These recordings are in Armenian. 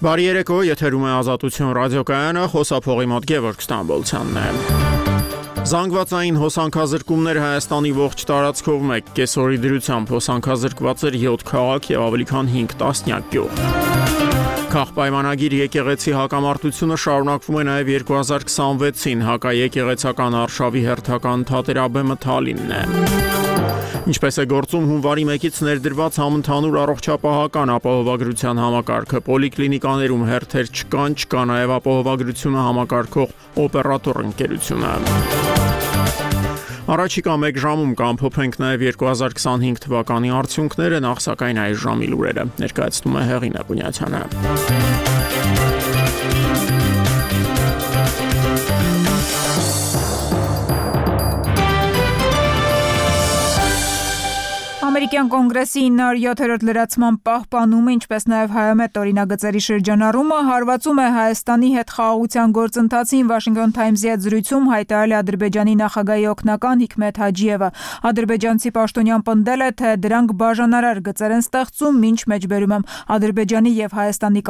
Բարի երեկո, եթերում է Ազատություն ռադիոկայանը, խոսափողի մոտ Գևորգ Ստամբոլցյանն է։ Զանգվածային հոսանքազրկումներ Հայաստանի ողջ տարածքով մեկ կեսօրի դրությամբ հոսանքազրկված էր 7 քաղաք եւ ավելի քան 5 տասնյակ գյուղ։ Քաղաքպայմանագիր եկեղեցի հակամարտությունը շարունակվում է նաև 2026-ին, հակաեկեղեցական արշավի հերթական թատերաբեմը Թալինն է։ Ինչպես է գործում հունվարի 1-ից ներդրված համընդհանուր առողջապահական ապահովագրության համակարգը, պոլիկլինիկաներում հերթեր չկա նաև ապահովագրությունը համակարգող օպերատոր ընկերությունը։ Առաջիկա 1 ժամում կամփոփենք նաև 2025 թվականի արդյունքները, նախ սակայն այս ժամի լուրերը ներկայացնում է Հեղինե Բունյացյանը։ Ամերիկյան կոնգրեսի 907-րդ լրացման պահպանումը, ինչպես նաև հայամետ օրինագծերի շրջանառումը հարվածում է Հայաստանի հետ խաղաղության գործընթացին, Washington Times-ի հետ զրույցում հայտարարել է Ադրբեջանի նախագահի օգնական Հիկմեթ Հաջիևը։ Ադրբեջանցի պաշտոնյան պնդել է, թե դրանք բաժանարար գծեր են ստեղծում, ինչ մեջբերում եմ Ադրբեջանի եւ Հայաստանի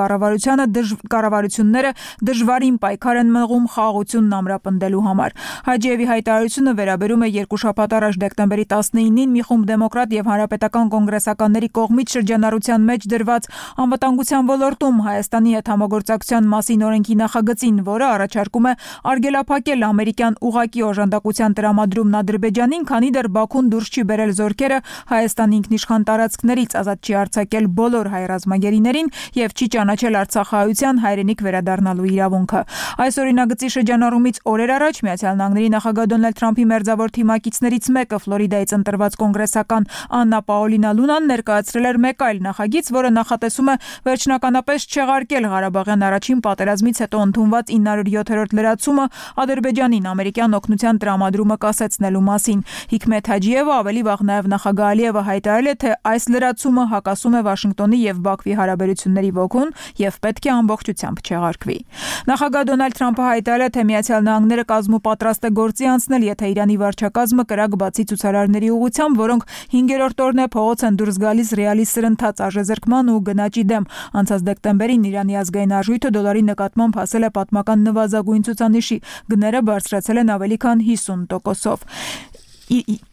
կառավարությունները դժվարին պայքար են մղում խաղաղությունն ամրապնդելու համար։ Հաջիևի հայտարարությունը վերաբերում է 2 շաբաթ առաջ դեկտեմբերի 19-ին մի խումբ դեմոկրատ եւ հանրապետական կոնգրեսականների կողմից շրջանառության մեջ դրված անվտանգության ոլորտում Հայաստանի հետ համագործակցության մասին օրենքի նախագծին, որը առաջարկում է արգելափակել ամերիկյան ուղղակի օժանդակության տրամադրումն Ադրբեջանին, քանի դեռ Բաքուն դուրս չի բերել զորքերը Հայաստանի ինքնիշխան տարածքներից, ազատ չի արձակել բոլոր հայ ռազմագերիներին եւ չի ճանաչել արցախահայության հայրենիք վերադառնալու իրավունքը։ Այս օրինագծի շրջանառումից օրեր առաջ ԱՄՆ նախագահ Դոնալդ Թրամփի մերձավոր թիմակիցներից մեկը Ֆլորիդայից ընտրված կոնգրեսական Աննա Պաոլինա Լունան ներկայացրել էր մեկ այլ նախագիծ, որը նախատեսում է վերջնականապես չեղարկել Ղարաբաղյան առաջին պատերազմից հետո ընդունված 907-րդ լրացումը Ադրբեջանին ամերիկյան օգնության տրամադրումը կասեցնելու մասին։ Հիկմեթ Հաջիևը ավելի վաղ նաև նախագահ Ալիևը հայտարարել է, թե այս լրացումը հակասում է Վաշինգտոնի եւ Բաքվի հարաբերությունների ոգուն եւ պետք է ամբողջությամբ չեղարկվի։ Նախագահ Դոնալդ Թրամփը հայտարարել է, թե ԱՄՆ-ը կազմոպատրաստ է գործի անցնել, եթե Իրանի վարչակազմը կրակ բացի ցուցարարների ուղղությամբ, որոնք 5-րդ օրն է փողոց են դուրս գալիս ռեալի սրընթաց արժեզրկման ու գնաճի դեմ։ Անցած դեկտեմբերին Իրանի ազգային արժույթը դոլարի նկատմամբ հասել է պատմական նվազագույն ցուցանիշի, գները բարձրացել են ավելի քան 50%-ով։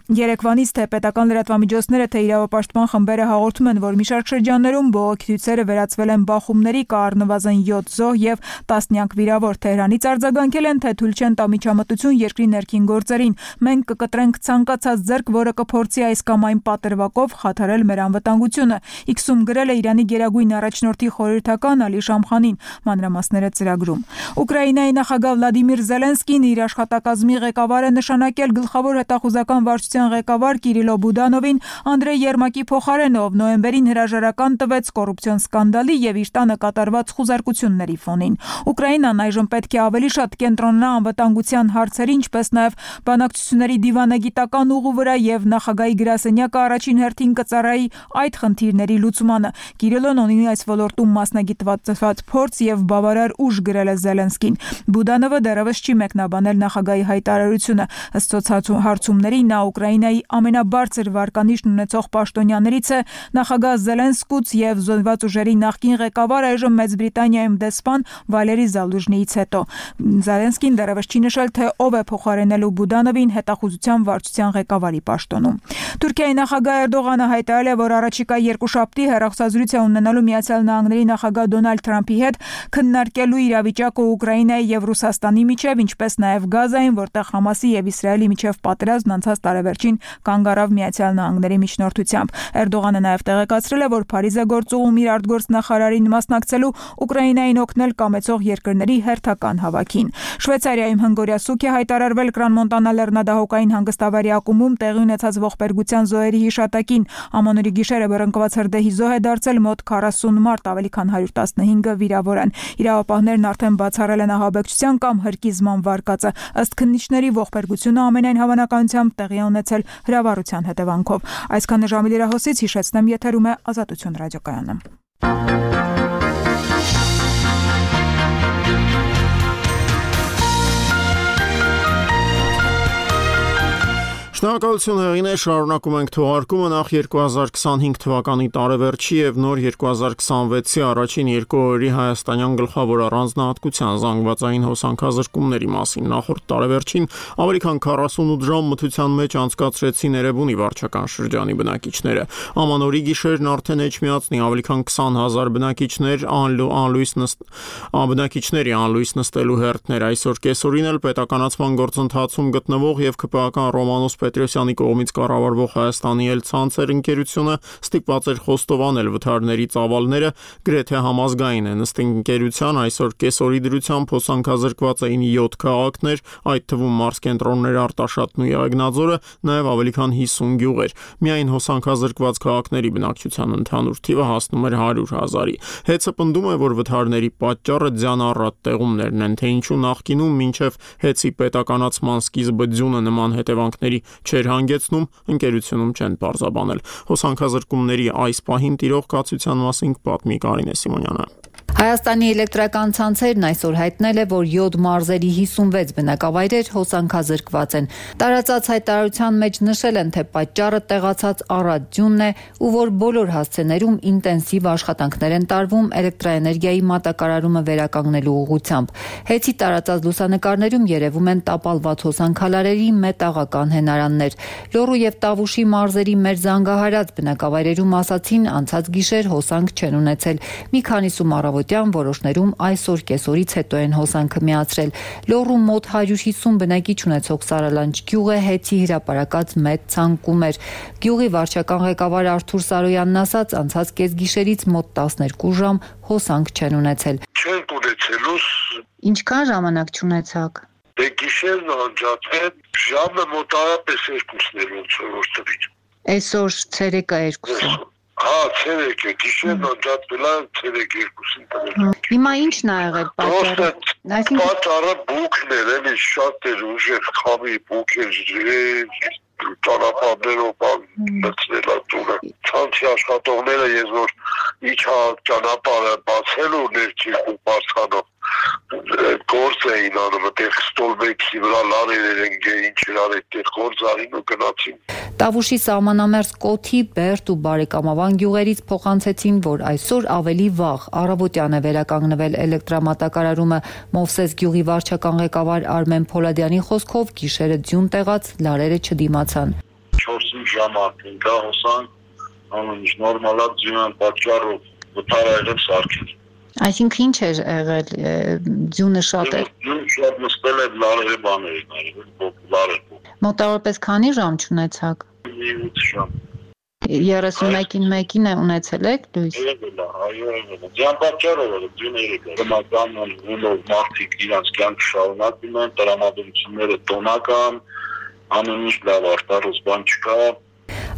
Երեկվանից թե պետական լրատվամիջոցները, թե իրավապաշտպան խմբերը հաղորդում են, որ մի շարք շրջաններում բողոքի ցույցերը վերածվել են բախումների, կա առնվազն 7 զոհ եւ տասնյակ վիրավոր։ Թեհրանից արձագանքել են, թե թույլ չեն տա միջամտություն երկրի ներքին գործերին։ Մենք կկտրենք ցանկացած ձեռք, որը կփորձի այս կամ այն պատրվակով խաթարել մեր անվտանգությունը։ X-ում գրել է Իրանի գերագույն առաջնորդի խորհրդական Ալի Շամխանին, մանրամասները ծրագրում։ Ուկրաինայի նախագահ Վլադիմիր Զելենսկին իր աշխատակազմի ղեկավար է նշանակել գլխավոր հետախուզական վարչության ղեկավար Կիրիլո Բուդանովին Անդրեյ Երմակի փոխարենով նոյեմբերին հրաժարական տվեց կոռուպցիոն սկանդալի եւ իր տանը կատարված խուզարկությունների ֆոնին։ Ուկրաինան այժմ պետք է ավելի շատ կենտրոնանա անվտանգության հարցերի, ինչպես նաեւ բանակցությունների դիվանագիտական ուղու վրա եւ նախագահի գրասենյակը առաջին հերթին կծառայի այդ խնդիրների լուծմանը։ Կիրիլոն ունի այս ոլորտում մասնագիտված փորձ եւ բավարար ուժ, գրել է Զելենսկին։ Բուդանովը դեռևս չի մեկնաբանել նախագահի հայտարարությունը։ Ըստ հարցումների նա Ուկրաինայի ամենաբարձր վարկանիշն ունեցող պաշտոնյաներից է, նախագահ Զելենսկուց եւ զինված ուժերի նախկին ղեկավար, այժմ Մեծ Բրիտանիայում դեսպան Վալերի Զալուժնիից հետո։ Զելենսկին դեռևս չի նշել, թե ով է փոխարինելու Բուդանովին հետախուզության վարչության ղեկավարի պաշտոնում։ Թուրքիայի նախագահ Էրդողանը հայտարարել է, որ առաջիկա երկուշաբթի հեռախոսազրույց է ունենալու ԱՄՆ նախագահ Դոնալդ Թրամփի հետ, քննարկելու իրավիճակը Ուկրաինայի եւ Ռուսաստանի միջև, ինչպես նաեւ Գազային, որտեղ Համասի եւ Իսրայելի միջև պատերազմն անցած տարեվերջին կանգ առավ ԱՄՆ միջնորդությամբ։ Էրդողանը նաև տեղեկացրել է, որ Փարիզ է գործուղում իր արտգործնախարարին մասնակցելու Ուկրաինային օգնել կամեցող երկրների հերթական հավաքին։ Շվեյցարիայում հնգօրյա սուք է հայտարարվել Կրան-Մոնտանա լեռնադահոկային հանգստավայրի ակումբում տեղի ունեցած ողբերգության զոհերի հիշատակին։ Ամանորի գիշերը բռնկված հրդեհի զոհ է դարձել մոտ 40 մարդ, ավելի քան 115-ը վիրավոր են։ Իրավապահներն արդեն բացառել են ահաբեկչության կամ հրկիզման վարկածը։ Ըստ քննիչների ողբերգությունը ամենայն հավանականությամբ տեղի ունեցել հրավառության հետևանքով։ Այսքանը ժամի լրահոսից, հիշեցնեմ, եթերում է Ազատություն ռադիոկայանը։ Շնորհակալություն հեղինե, շարունակում ենք թողարկումը նախ 2025 թվականի տարեվերջի եւ նոր 2026-ի առաջին 2 օրերի հայաստանյան գլխավոր առանձնահատկության զանգվածային հոսանքազրկումների մասին։ Նախորդ տարեվերջին ավելի քան 48 ժամ մթության մեջ անցկացրեցին Էրեբունի վարչական շրջանի բնակիչները։ Ամանորի գիշերն արդեն էջմիածնի ավելի քան 20,000 բնակիչների անլույս նստելու հերթներ։ Այսօր կեսօրին էլ պետականացման գործընթացում գտնվող եւ ԿՊԱ Ռոմանոս Պետրոսյանի կողմից կառավարվող Հայաստանի Էլ-Ցանցեր ընկերությունը ստիպված էր խոստովանել վթարների ծավալները գրեթե համազգային են։ Ըստ ընկերության այսօր կեսօրի դրությամբ հոսանքազրկված էին 7 քաղաքներ, այդ թվում մարզկենտրոններ Արտաշատն ու Եղեգնաձորը, նաև ավելի քան 50 գյուղեր։ Միայն հոսանքազրկված քաղաքների բնակչության ընդհանուր թիվը հասնում էր 100,000-ի։ Հեծը պնդում է, որ վթարների պատճառը ձյան-առատ տեղումներն են, թե ինչու նախկինում մինչև հեծի պետականացման սկիզբը ձյունը նման հետևանքների չէր հանգեցնում, ընկերությունում չեն պարզաբանել։ Հոսանքազրկումների այս պահին տիրող կացության մասին պատմի Կարինե Սիմոնյանը։ Հայաստանի էլեկտրական ցանցերն այսօր հայտնել է, որ 7 մարզերի 56 բնակավայրեր հոսանքազրկված են։ Տարածած հայտարարության մեջ նշել են, թե պատճառը տեղացած առատ ձյունն է ու որ բոլոր հասցեներում ինտենսիվ աշխատանքներ են տարվում էլեկտրաէներգիայի մատակարարումը վերականգնելու ուղղությամբ։ Հեծի տարածած լուսանկարներում երևում են տապալված հոսանքալարերի մետաղական հենարաններ։ Լոռու եւ Տավուշի մարզերի մեր զանգահարած բնակավայրերում ասացին, անցած գիշեր հոսանք չեն ունեցել։ Մի քանիսում առավոտյան որոշներում այսօր կեսօրից հետո են հոսանքը միացրել։ Լոռու մոտ 150 բնակիչ ունեցող Սարալանջ գյուղը հեծի հրապարակած մեծ ցանկում էր։ Գյուղի վարչական ղեկավար Արթուր Սարոյանն ասաց, անցած կեսգիշերից մոտ 12 ժամ հոսանք չեն ունեցել։ Չենք ունեցելուս։ Ինչքան ժամանակ չունեցաք։ Դե գիշերն անջատվեց, ժամը մոտավորապես 2-ն էր ոնց որ տվիչ։ Այսօր ցերեկը 2-ը։ Հա, ցերեկը, գիշերն անջատվել է ցերեկ 2-ին տվել։ Հիմա ի՞նչն ա եղել պատճառը։ Պատճառը բուքն էր, էլի շատ էր ուժեղ խամի բուք էր, ճանապարհներով լցնել է տունը։ Ցանցի աշխատողները ես որ իջա ճանապարհը բացելու ներքին բարձրանով գործ էին անում, այդտեղ ստոլբեքի վրա լարեր են ինչ իրար այդտեղ գործ արին ու գնացին։ Տավուշի սահմանամերձ Կոթի, Բերդ ու Բարեկամավան գյուղերից փոխանցեցին, որ այսօր ավելի վաղ առավոտյան է վերականգնվել էլեկտրամատակարարումը։ Մովսես գյուղի վարչական ղեկավար Արմեն Փոլադյանի խոսքով գիշերը ձյուն տեղած լարերը չդիմացան։ 4-5 ժամ արդեն դա հոսանք, ամեն ինչ նորմալ է, ձյունան պատճառով վթար եղել սարքել։ Այսինքն ինչ էր եղել, ձյունը շատ էր։ Ձյուն շատ նստել էր լարերը բաներ են, լարեր։ Մոտավորապես քանի ժամ չունեցաք։ 8 ժամ։ 31-ին մեկին է ունեցել եք լույս։ Այո, ձյան պատճառով է, ձյունը եկել։ Դրամական ունով մարդիկ իրանց կյանք շարունակում են, տրամադրությունները տոնական, ամեն ինչ լավ արտարոց բան չկա։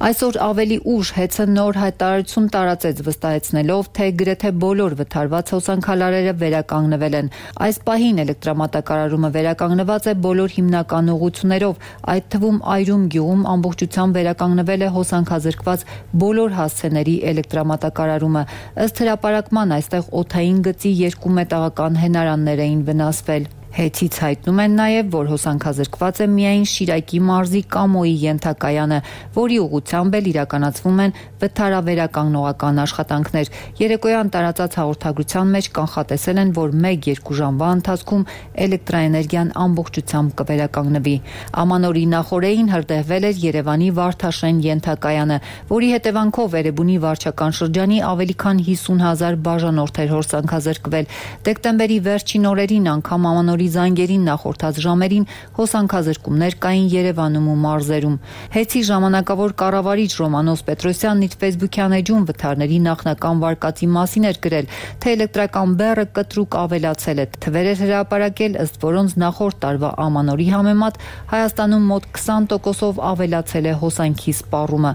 Այսօր ավելի ուշ հեծը նոր հայտարարություն տարածեց, վստահեցնելով, թե գրեթե բոլոր վթարված հոսանքալարերը վերականգնվել են։ Այս պահին էլեկտրամատակարարումը վերականգնված է բոլոր հիմնական ուղղություններով, այդ թվում Այրում գյուղում ամբողջությամբ վերականգնվել է հոսանքազրկված բոլոր հասցեների էլեկտրամատակարարումը։ Ըստ հրապարակման այստեղ օդային գծի 2 մետաղական հենարաններ էին վնասվել։ Հեծից հայտնում են նաև, որ հոսանքազրկված է միայն Շիրակի մարզի Կամոյի ենթակայանը, որի ուղղությամբ էլ իրականացվում են վթարավերականգնողական աշխատանքներ։ Երեկոյան տարածած հաղորդագրության մեջ կանխատեսել են, որ 1-2 ժամվա ընթացքում էլեկտրաէներգիան ամբողջությամբ կվերականգնվի։ Ամանորի նախօրեին հրդեհվել էր Երևանի Վարդաշեն ենթակայանը, որի հետևանքով Էրեբունի վարչական շրջանի ավելի քան 50,000 բաժանորդ էր հոսանքազրկվել։ Դեկտեմբերի վերջին օրերին անգամ Ամանորի զանգերին նախորդած ժամերին հոսանքազրկումներ կային Երևանում ու մարզերում։ Հեծի ժամանակավոր կառավարիչ Ռոմանոս Պետրոսյանն իր Facebook-յան էջում վթարների նախնական վարկածի մասին էր գրել, թե էլեկտրական բեռը կտրուկ ավելացել է։ Թվեր էր հրապարակել, ըստ որոնց նախորդ տարվա Ամանորի համեմատ Հայաստանում մոտ 20%-ով ավելացել է հոսանքի սպառումը։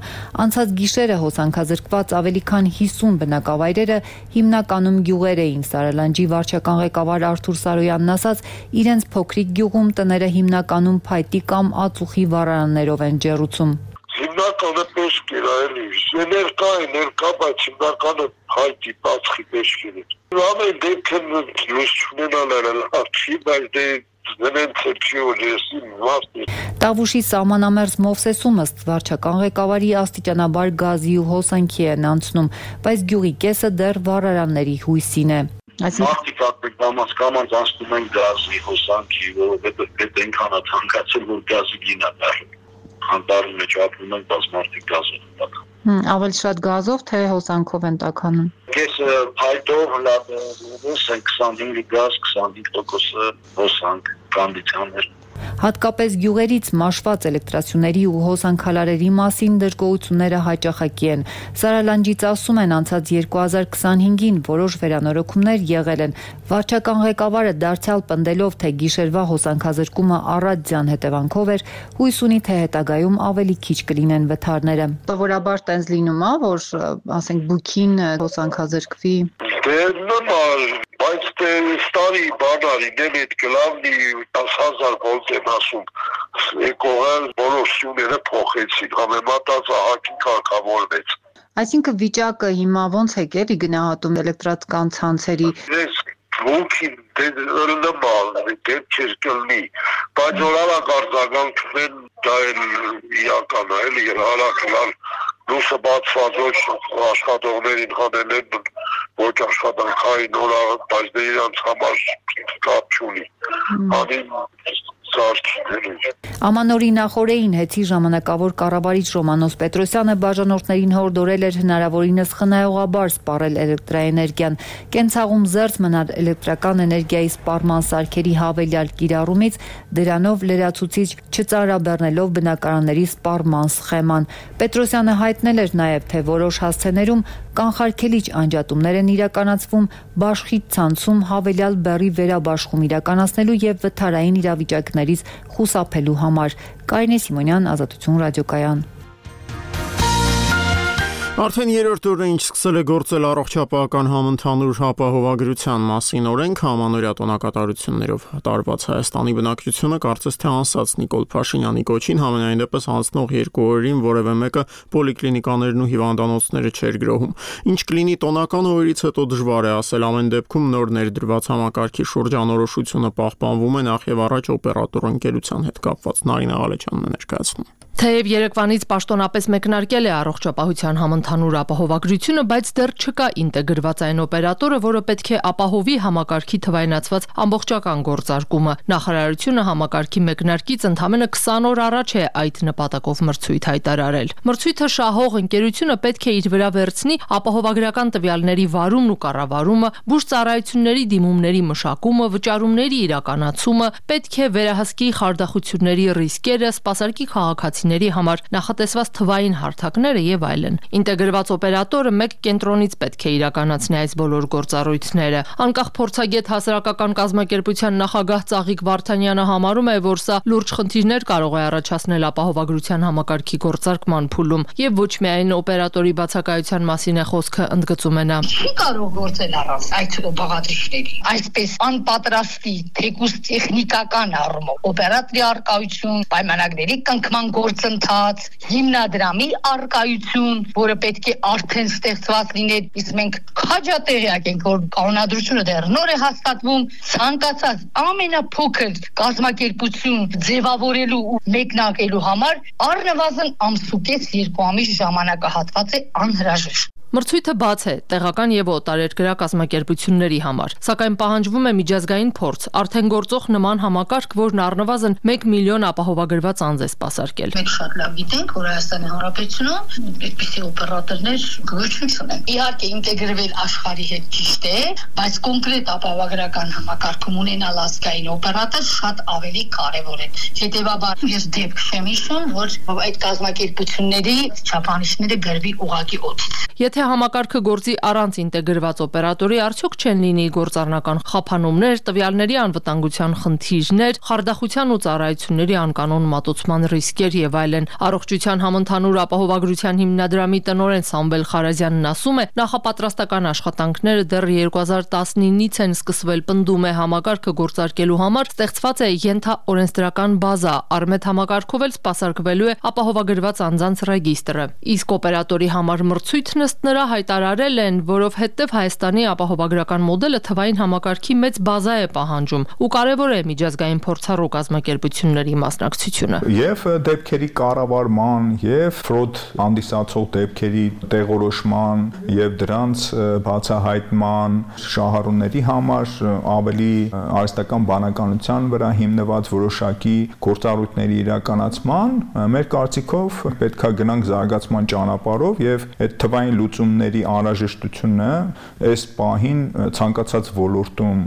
Անցած գիշերը հոսանքազրկված ավելի քան 50 բնակավայրերը հիմնականում գյուղեր էին։ Սարալանջի վարչական ղեկավար Արթուր Սարոյանն ասաց, իրենց փոքրիկ գյուղում տները հիմնականում փայտի կամ ածուխի վառարաններով են ջեռուցում։ Հիմնականը պեշք էր այլի, ներկա, բայց հիմնականը փայտի, բացխի պեշք էր։ Ամեն դեպքն լույս չունենալը լավ չի, բայց դե Տավուշի սահմանամերձ Մովսեսում ըստ վարչական ղեկավարի աստիճանաբար գազի ու հոսանքի են անցնում, բայց գյուղի կեսը դեռ վառարանների հույսին է։ Մարդիկ կամաց անցնում են գազի, հոսանքի, որովհետև պետք այնքան է թանկացել, որ գազի գինը դառնում։ Անտառի մեջ ապրում են, բայց մարդիկ գազով են տականում։ Ավելի շատ գազով, թե հոսանքով են տականում։ Կեսը փայտով, լաբորատորիայից 25% գազ, 25% հոսանք, կոնդիցիոներ։ Հատկապես գյուղերից մաշված էլեկտրասյուների ու հոսանքալարերի մասին դժգոհությունները հաճախակի են։ Սարալանջից ասում են, անցած 2025-ին որոշ վերանորոգումներ եղել են։ Վարչական ղեկավարը դարձյալ պնդելով, թե գիշերվա հոսանքազրկումը առատյան հետևանքով էր, հույս ունի, թե հետագայում ավելի քիչ կլինեն վթարները։ Սովորաբար տենց լինում է, որ ասենք բուքին հոսանքազրկվի։ Դե նորմալ, բայց դե ստարի բանարի դեմետ գլավնի 10,000 վոլտ են ասում, եկողել բոլոր սյուները փոխեցին, համեմատած ահագին կարգավորվեց։ Այսինքն վիճակը հիմա ոնց է գելի գնահատում էլեկտրական ցանցերի։ Ես Ոքին նորմալ, դեպք չէր կլնի, բայց օրալակ արձագանքվեն դա էլ իրական է, էլի հարակլալ լուսը բացված ոչ աշխատողներին հանել են ոչ աշխատանքային օրը, բայց դե իրանց համար կապ չունի, անին Ամանորի նախօրեին Հեցի ժամանակավոր կառավարիչ Ռոմանոս Պետրոսյանը բաժանորդներին հորդորել էր հնարավորինս խնայողաբար սպառել էլեկտրաէներգիան, կենցաղում զերծ մնալ էլեկտրական էներգիայի սպառման սարքերի հավելյալ կիրառումից, դրանով լրացուցիչ չծանրաբեռնելով բնակարանների սպառման սխեման։ Պետրոսյանը հայտնել էր նաև, թե որոշ հասցեներում կանխարգելիչ անջատումներ են իրականացվում բաշխի ցանցում հավելյալ բեռի վերաբաշխում իրականացնելու եւ վթարային իրավիճակներից խուսափելու համար։ Կարինե Սիմոնյան, Ազատություն ռադիոկայան։ Արդեն երրորդ օրը ինչ սկսել է գործել առողջապահական համընդհանուր ապահովագրության մասին օրենք, ամանորյա տոնակատարություններով տարված Հայաստանի բնակչությունը կարծես թե անսաց Նիկոլ Փաշինյանի կոչին, համենայն դեպս անցնող 2 օրերին որևէ մեկը պոլիկլինիկաներն ու հիվանդանոցները չէր գրոհում։ Ինչ կլինի տոնական օրերից հետո դժվար է ասել, ամեն դեպքում նոր ներդրված համակարգի շուրջ անորոշությունը պահպանվում է նախ եւ առաջ օպերատոր ընկերության հետ կապված։ Նարինե Ղալեչյանն է ներկայացնում։ Թեև երեկվանից պաշտոնապես մեկնարկել է առողջապահության համընդհանուր ապահովագրությունը, բայց դեռ չկա ինտեգրված այն օպերատորը, որը պետք է ապահովի համակարգի թվայնացված ամբողջական գործարկումը։ Նախարարությունը համակարգի մեկնարկից ընդամենը 20 օր առաջ է այդ նպատակով մրցույթ հայտարարել։ Մրցույթը շահող ընկերությունը պետք է իր վրա վերցնի ապահովագրական տվյալների վարումն ու կառավարումը, բուժծառայությունների դիմումների մշակումը, վճարումների իրականացումը, պետք է վերահսկի խարդախությունների ռիսկերը, սպասարկի քաղաքացիների համար նախատեսված թվային հարթակները եւ այլն։ Ինտեգրված օպերատորը մեկ կենտրոնից պետք է իրականացնի այս բոլոր գործառույթները։ Անկախ փորձագետ հասարակական կազմակերպության նախագահ Ծաղիկ Վարդանյանը համարում է, որ սա լուրջ խնդիրներ կարող է առաջացնել ապահովագրության համակարգի գործարկման փուլում եւ ոչ միայն օպերատորի բացակայության մասին է խոսքը, ընդգծում է նա։ Չի կարող գործել առանց այդ բաղադրիչների։ Այսպես անպատրաստի, թեկուզ տեխնիկական առումով օպերատորի արկայություն, պայմանագրերի կնքման գործընթաց, հիմնադրամի արկայություն, որը պետք է արդեն ստեղծված լիներ, իսկ մենք քաջատեղյակ ենք, որ կանոնադրությունը դեռ նոր է հաստատվում, ցանկացած ամենափոքր կազմակերպություն ձևավորելու ու մեկնարկելու համար առնվազն ամսուկես 2 ամիս ժամանակահատված է անհրաժեշտ։ Մրցույթը բաց է տեղական եւ օտարերկրյա կազմակերպությունների համար, սակայն պահանջվում է միջազգային փորձ, արդեն գործող նման համակարգ, որն առնվազն 1 միլիոն ապահովագրված անձ է սպասարկել։ Մենք շատ լավ գիտենք, որ Հայաստանի Հանրապետությունում այդպիսի օպերատորներ գոյություն չունեն։ Իհարկե ինտեգրվել աշխարհի հետ ճիշտ է, բայց կոնկրետ ապահովագրական համակարգում ունենալ ազգային օպերատոր շատ ավելի կարեւոր է։ Հետևաբար ես դեպք չեմ հիշում, որ այդ կազմակերպությունների չափանիշները գրվի ուղղակի օդից։ Եթե համակարգը գործի առանց ինտեգրված օպերատորի, արդյոք չեն լինի գործառնական խափանումներ, տվյալների անվտանգության խնդիրներ, խարդախության ու ծառայությունների անկանոն մատուցման ռիսկեր եւ այլն։ Առողջության համընդհանուր ապահովագրության հիմնադրամի տնօրեն Սամվել Խարազյանն ասում է, նախապատրաստական աշխատանքները դեռ 2019-ից են սկսվել, պնդում է, համակարգը գործարկելու համար ստեղծված է ենթաօրենսդրական բազա, Արմետ համակարգով էլ սպասարկվելու է ապահովագրված անձանց ռեգիստրը։ Իսկ օպերատորի համար մրցույթն ըստ նրա հայտարարել են, որովհետև Հայաստանի ապահովագրական մոդելը թվային համակարգի մեծ բազա է պահանջում ու կարևոր է միջազգային փորձառու կազմակերպությունների մասնակցությունը։ Եվ դեպքերի կառավարման եւ ֆրոդ հանդիսացող դեպքերի տեղորոշման եւ դրանց բացահայտման շահառուների համար ավելի արհեստական բանականության վրա հիմնված որոշակի գործառույթների իրականացման մեր կարծիքով պետք է գնանք զարգացման ճանապարհով եւ այդ թվային լուծումների անհրաժեշտությունը այս պահին ցանկացած ոլորտում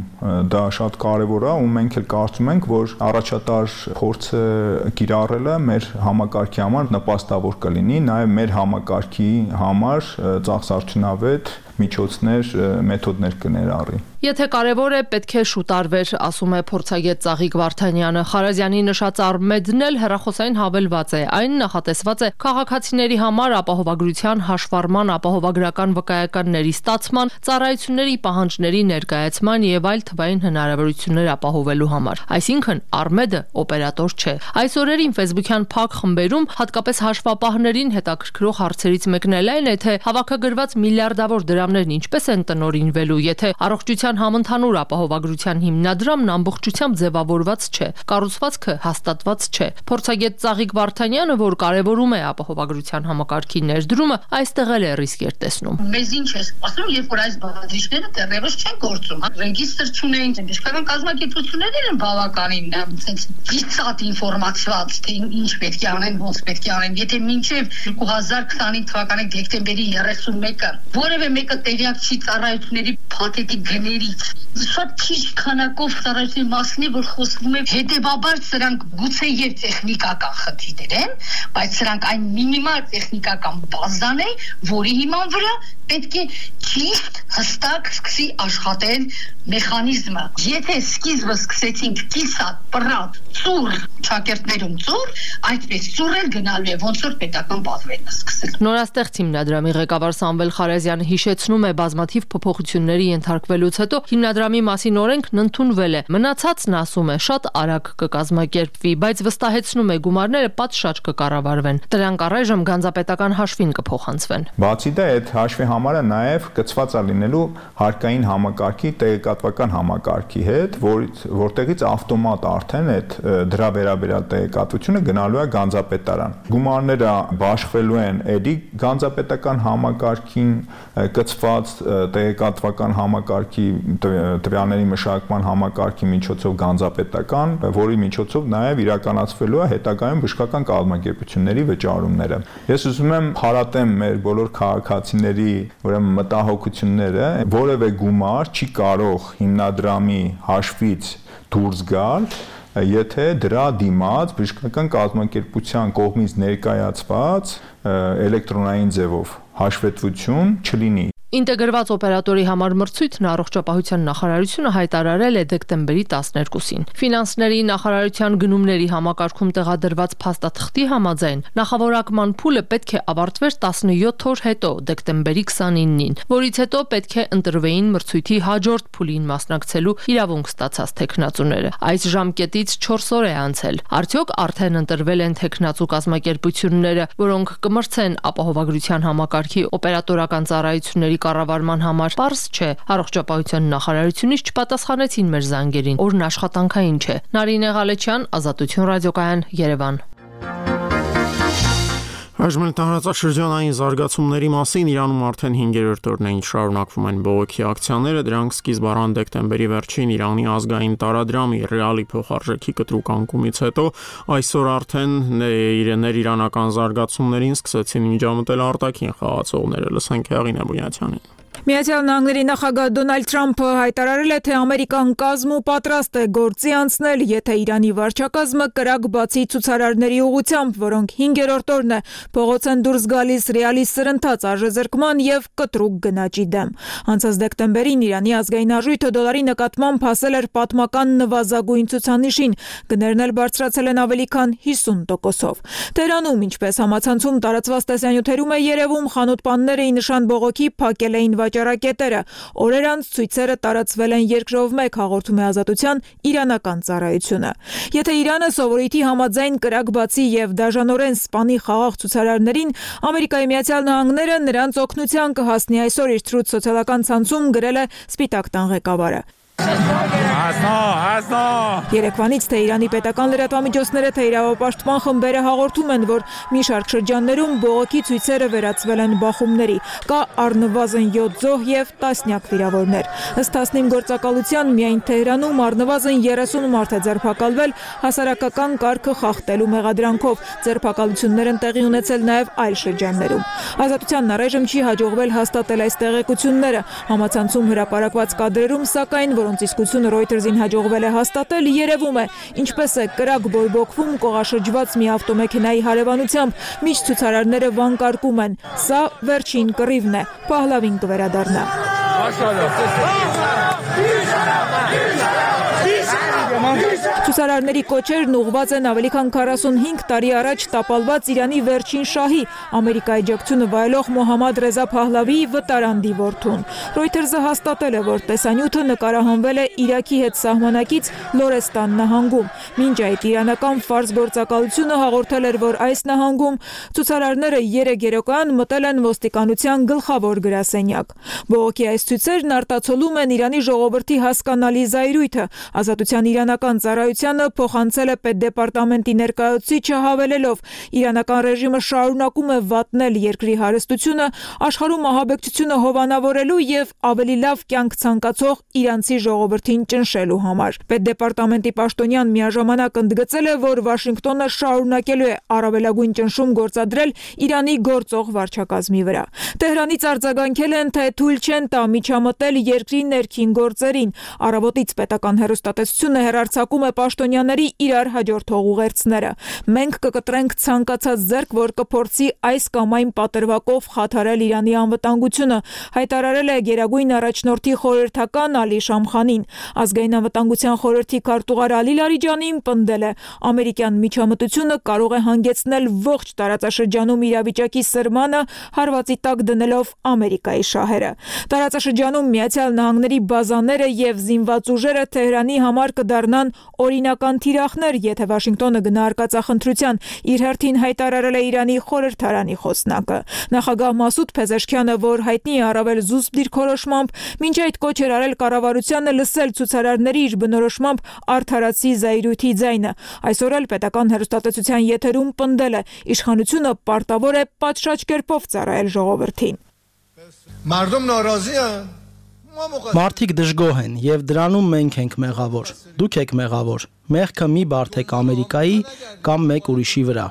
դա շատ կարևոր է ու մենք էլ կարծում ենք, որ առաջատար փորձը կիրառելը մեր համակարգի համար նպաստավոր կլինի, նաև մեր համակարգի համար ծախսարդյունավետ միջոցներ, մեթոդներ կներառի։ Եթե կարևոր է, պետք է շուտ արվեր, ասում է փորձագետ Ծաղիկ Վարդանյանը։ Խարազյանի նշած Արմեդն էլ հեռախոսային հավելված է։ Այն նախատեսված է քաղաքացիների համար ապահովագրության հաշվառման, ապահովագրական վկայականների ստացման, ծառայությունների պահանջների ներկայացման եւ այլ թվային հնարավորություններ ապահովելու համար։ Այսինքն Արմեդը օպերատոր չէ։ Այս օրերին Facebook-յան փակ խմբերում հատկապես հաշվապահներին հետաքրքրող հարցերից մեկն էլ այն է, թե հավաքագրված միլիարդավոր դրամներն ինչպես են տնօրինվելու, եթե առողջության համընդհանուր ապահովագրության հիմնադրամն ամբողջությամբ ձևավորված չէ, կառուցվածքը հաստատված չէ։ Փորձագետ Ծաղիկ Վարդանյանը, որ կարևորում է ապահովագրության համակարգի ներդրումը, այստեղ էլ է ռիսկեր տեսնում։ Մեզ ինչ է ասում, երբ որ այս բաղադրիչները դեռևս չեն գործում, ռեգիստր չունեն, բժշկական կազմակերպություններն են բավականին ծիծատ ինֆորմացված, թե ինչ պետք է անեն, ոնց պետք է անեն։ Եթե մինչև 2025 թվականի դեկտեմբերի 31-ը որևէ մեկը տեղյակ չի ծառայությունների փաթեթի գներից, շատ քիչ քանակով ծառայությունների մասին է, որ խոսվում է, հետևաբար սրանք գուցե եւ տեխնիկական խնդիրներ են, բայց սրանք այն մինիմալ տեխնիկական բազան է, որի հիման վրա պետք է ճիշտ հստակ սկսի աշխատել մեխանիզմը։ Եթե սկիզբը սկսեցինք կիսատ, պռատ, ծուռ շակերտներում ծուռ, այդպես ծուռ էլ գնալու է, ոնց որ պետական բազվերն սկսել։ Նորաստեղծ հիմնադրամի ղեկավար Սամվել Խարազյանը հիշեցնում է բազմաթիվ փոփոխությունների ենթարկվելուց հետո հիմնադրամի մասին օրենքն ընդունվել է։ Մնացածն ասում է շատ արագ կկազմակերպվի, բայց վստահեցնում է գումարները պատշաճ կկառավարվեն։ Դրանք առայժմ գանձապետական հաշվին կփոխանցվեն։ Բացի դա այդ հաշվի համարը նաև կցված է լինելու հարկային համակարգի տեղեկատվական համակարգի հետ, որտեղից ավտոմատ արդեն այդ դրա վերաբերյալ տեղեկատվությունը գնալու է գանձապետարան։ Գումարները բաշխվելու են էդի գանձապետական համակարգին կցված տեղեկատվական համակարգի տվյալների մշակման համակարգի միջոցով գանձապետական, որի միջոցով նաև իրականացվելու է հետագայում բժշկական կազմակերպությունների վճարումները։ Ես ուզում եմ հարատեմ մեր բոլոր քաղաքացիների ուրեմն մտահոգությունները, որևէ գումար չի կարող հիմնադրամի հաշվից դուրս գալ, եթե դրա դիմաց բժշկական կազմակերպության կողմից ներկայացված էլեկտրոնային ձևով հաշվետվություն չլինի։ Ինտեգրված օպերատորի համար մրցույթն առողջապահության նախարարությունը հայտարարել է դեկտեմբերի 12-ին։ Ֆինանսների նախարարության գնումների համակարգում տեղադրված փաստաթղթի համաձայն նախավորակման փուլը պետք է ավարտվեր 17 օր հետո, դեկտեմբերի 29-ին, որից հետո պետք է ընտրվեին մրցույթի հաջորդ փուլին մասնակցելու իրավունք ստացած թեկնածուները։ Այս ժամկետից 4 օր է անցել։ Արդյոք արդեն ընտրվել են թեկնածու կազմակերպությունները, որոնք կմրցեն ապահովագրության համակարգի օպերատորական ծառայությունների կառավարման համար? Պարզ չէ։ Առողջապահության նախարարությունից չպատասխանեցին մեր զանգերին։ Օրն աշխատանքային չէ։ Նարինե Ղալեչյան, Ազատություն ռադիոկայան, Երևան։ Այժմ տարածաշրջանային զարգացումների մասին Իրանում արդեն 5-րդ օրն է ինչ շարունակվում են բողոքի ակցիաները, դրանք սկիզբ առան դեկտեմբերի վերջին Իրանի ազգային տարադրամի ռեալի փոխարժեքի կտրուկ անկումից հետո, այսօր արդեն ներիրանական զարգացումներին սկսեցին միջամտել արտաքին խաղացողները։ Լսենք Հեղին Էբունյացյանին։ Միացյալ Նահանգների նախագահ Դոնալդ Թրամփը հայտարարել է, թե Ամերիկան կազմ ու պատրաստ է գործի անցնել, եթե Իրանի վարչակազմը կրակ բացի ցուցարարների ուղղությամբ, որոնք 5-րդ օրն է փողոց են դուրս գալիս ռեալի սրընթաց արժեզրկման եւ կտրուկ գնաճի դեմ։ Անցած դեկտեմբերին Իրանի ազգային արժույթը դոլարի նկատմամբ հասել էր պատմական նվազագույն ցուցանիշին, գներն էլ բարձրացել են ավելի քան 50%-ով։ Թեհրանում, ինչպես համացանցում տարածված տեսանյութերում է երևում, խանութպանները ի նշան բողոքի փակել էին վաճառակետերը։ Օրեր անց ցույցերը տարածվել են երկրով մեկ, հաղորդում է Ազատության իրանական ծառայությունը։ Եթե Իրանը սովորույթի համաձայն կրակ բացի եւ դաժանորեն սպանի խաղաղ ցուցարարներին, Ամերիկայի Միացյալ Նահանգները նրանց օգնության կհասնի, այսօր իր Truth սոցիալական ցանցում գրել է Սպիտակ տան ղեկավարը։ Երեկվանից թե Իրանի պետական լրատվամիջոցները, թե իրավապաշտպան խմբերը հաղորդում են, որ մի շարք շրջաններում բողոքի ցույցերը վերածվել են բախումների։ Կա առնվազն 7 զոհ եւ տասնյակ վիրավորներ։ Ըստ Թասնիմ գործակալության միայն Թեհրանում առնվազն 30 մարդ է ձերբակալվել հասարակական կարգը խախտելու մեղադրանքով։ Ձերբակալություններ են տեղի ունեցել նաեւ այլ շրջաններում։ Ազատությանն առայժմ չի հաջողվել հաստատել այս տեղեկությունները։ Համացանցում հրապարակված կադրերում, սակայն, որոնց իսկությունը Reuters-ին հաջողվել է հաստատել, երևում է, ինչպես է կրակ բորբոքվում կողաշրջված մի ավտոմեքենայի հարևանությամբ, մինչ ցուցարարները վանկարկում են։ Սա վերջին կռիվն է, Փահլավին կվերադառնա։ Ցուցարարների կոչերն ուղղված են ավելի քան 45 տարի առաջ տապալված Իրանի վերջին շահի, Ամերիկայի աջակցությունը վայելող Մոհամմադ Ռեզա Փահլավիի վտարանդի որդուն։ Reuters-ը հաստատել է, որ տեսանյութը նկարահանվել է Իրաքի հետ սահմանակից Լորեստան նահանգում։ Մինչ այդ իրանական Ֆարս գործակալությունը հաղորդել էր, որ այս նահանգում ցուցարարները երեկոյան մտել են ոստիկանության գլխավոր գրասենյակ։ Բողոքի այս ցույցերն արտացոլում են Իրանի ժողովրդի հասկանալի զայրույթը։ Ազատության իրանական ծառայությանը փոխանցել է պետդեպարտամենտի ներկայացուցիչը հավելելով. իրանական ռեժիմը շարունակում է վատնել երկրի հարստությունը, աշխարհում ահաբեկչությունը հովանավորելու եւ ավելի լավ կյանք ցանկացող իրանցի ժողովրդին ճնշելու համար։ Պետդեպարտամենտի պաշտոնյան միաժամանակ ընդգծել է, որ Վաշինգտոնը շարունակելու է առավելագույն ճնշում գործադրել Իրանի գործող վարչակազմի վրա։ Թեհրանից արձագանքել են, թե թույլ չեն տա միջամտել երկրի ներքին գործերին։ Առավոտից պետական հեռուստատեսությունը հեռարձակում է պաշտոնյաների իրար հաջորդող ուղերձները։ Մենք կկտրենք ցանկացած ձեռք, որ կփորձի այս կամ այն պատրվակով խաթարել Իրանի անվտանգությունը, հայտարարել է Գերագույն առաջնորդի խորհրդական Ալի Շամխանին։ Ազգային անվտանգության խորհրդի քարտուղար Ալի Լարիջանին պնդել է. ամերիկյան միջամտությունը կարող է հանգեցնել ողջ տարածաշրջանում իրավիճակի սրմանը, հարվածի տակ դնելով Ամերիկայի շահերը։ Տարածաշրջանում Միացյալ Նահանգների բազաները եւ զինված ուժերը Թեհրանի համար կդառնան օրինական թիրախներ, եթե Վաշինգտոնը գնա արկածախնդրության, իր հերթին հայտարարել է Իրանի խորհրդարանի խոսնակը։ Նախագահ Մասուդ Փեզեշքյանը, որ հայտնի է առավել զուսպ դիրքորոշմամբ, մինչ այդ կոչ էր արել կառավարությանը լսել ցուցարարների իր բնորոշմամբ արդարացի զայրույթի ձայնը։ Այսօր էլ պետական հեռուստատեսության եթերում պնդել է. իշխանությունը պարտավոր է պատշաճ կերպով ծառայել ժողովրդին։ Մարդիկ դժգոհ են եւ դրանում մենք ենք մեղավոր։ Դուք եք մեղավոր։ Մեղքը մի բարթեք Ամերիկայի կամ մեկ ուրիշի վրա։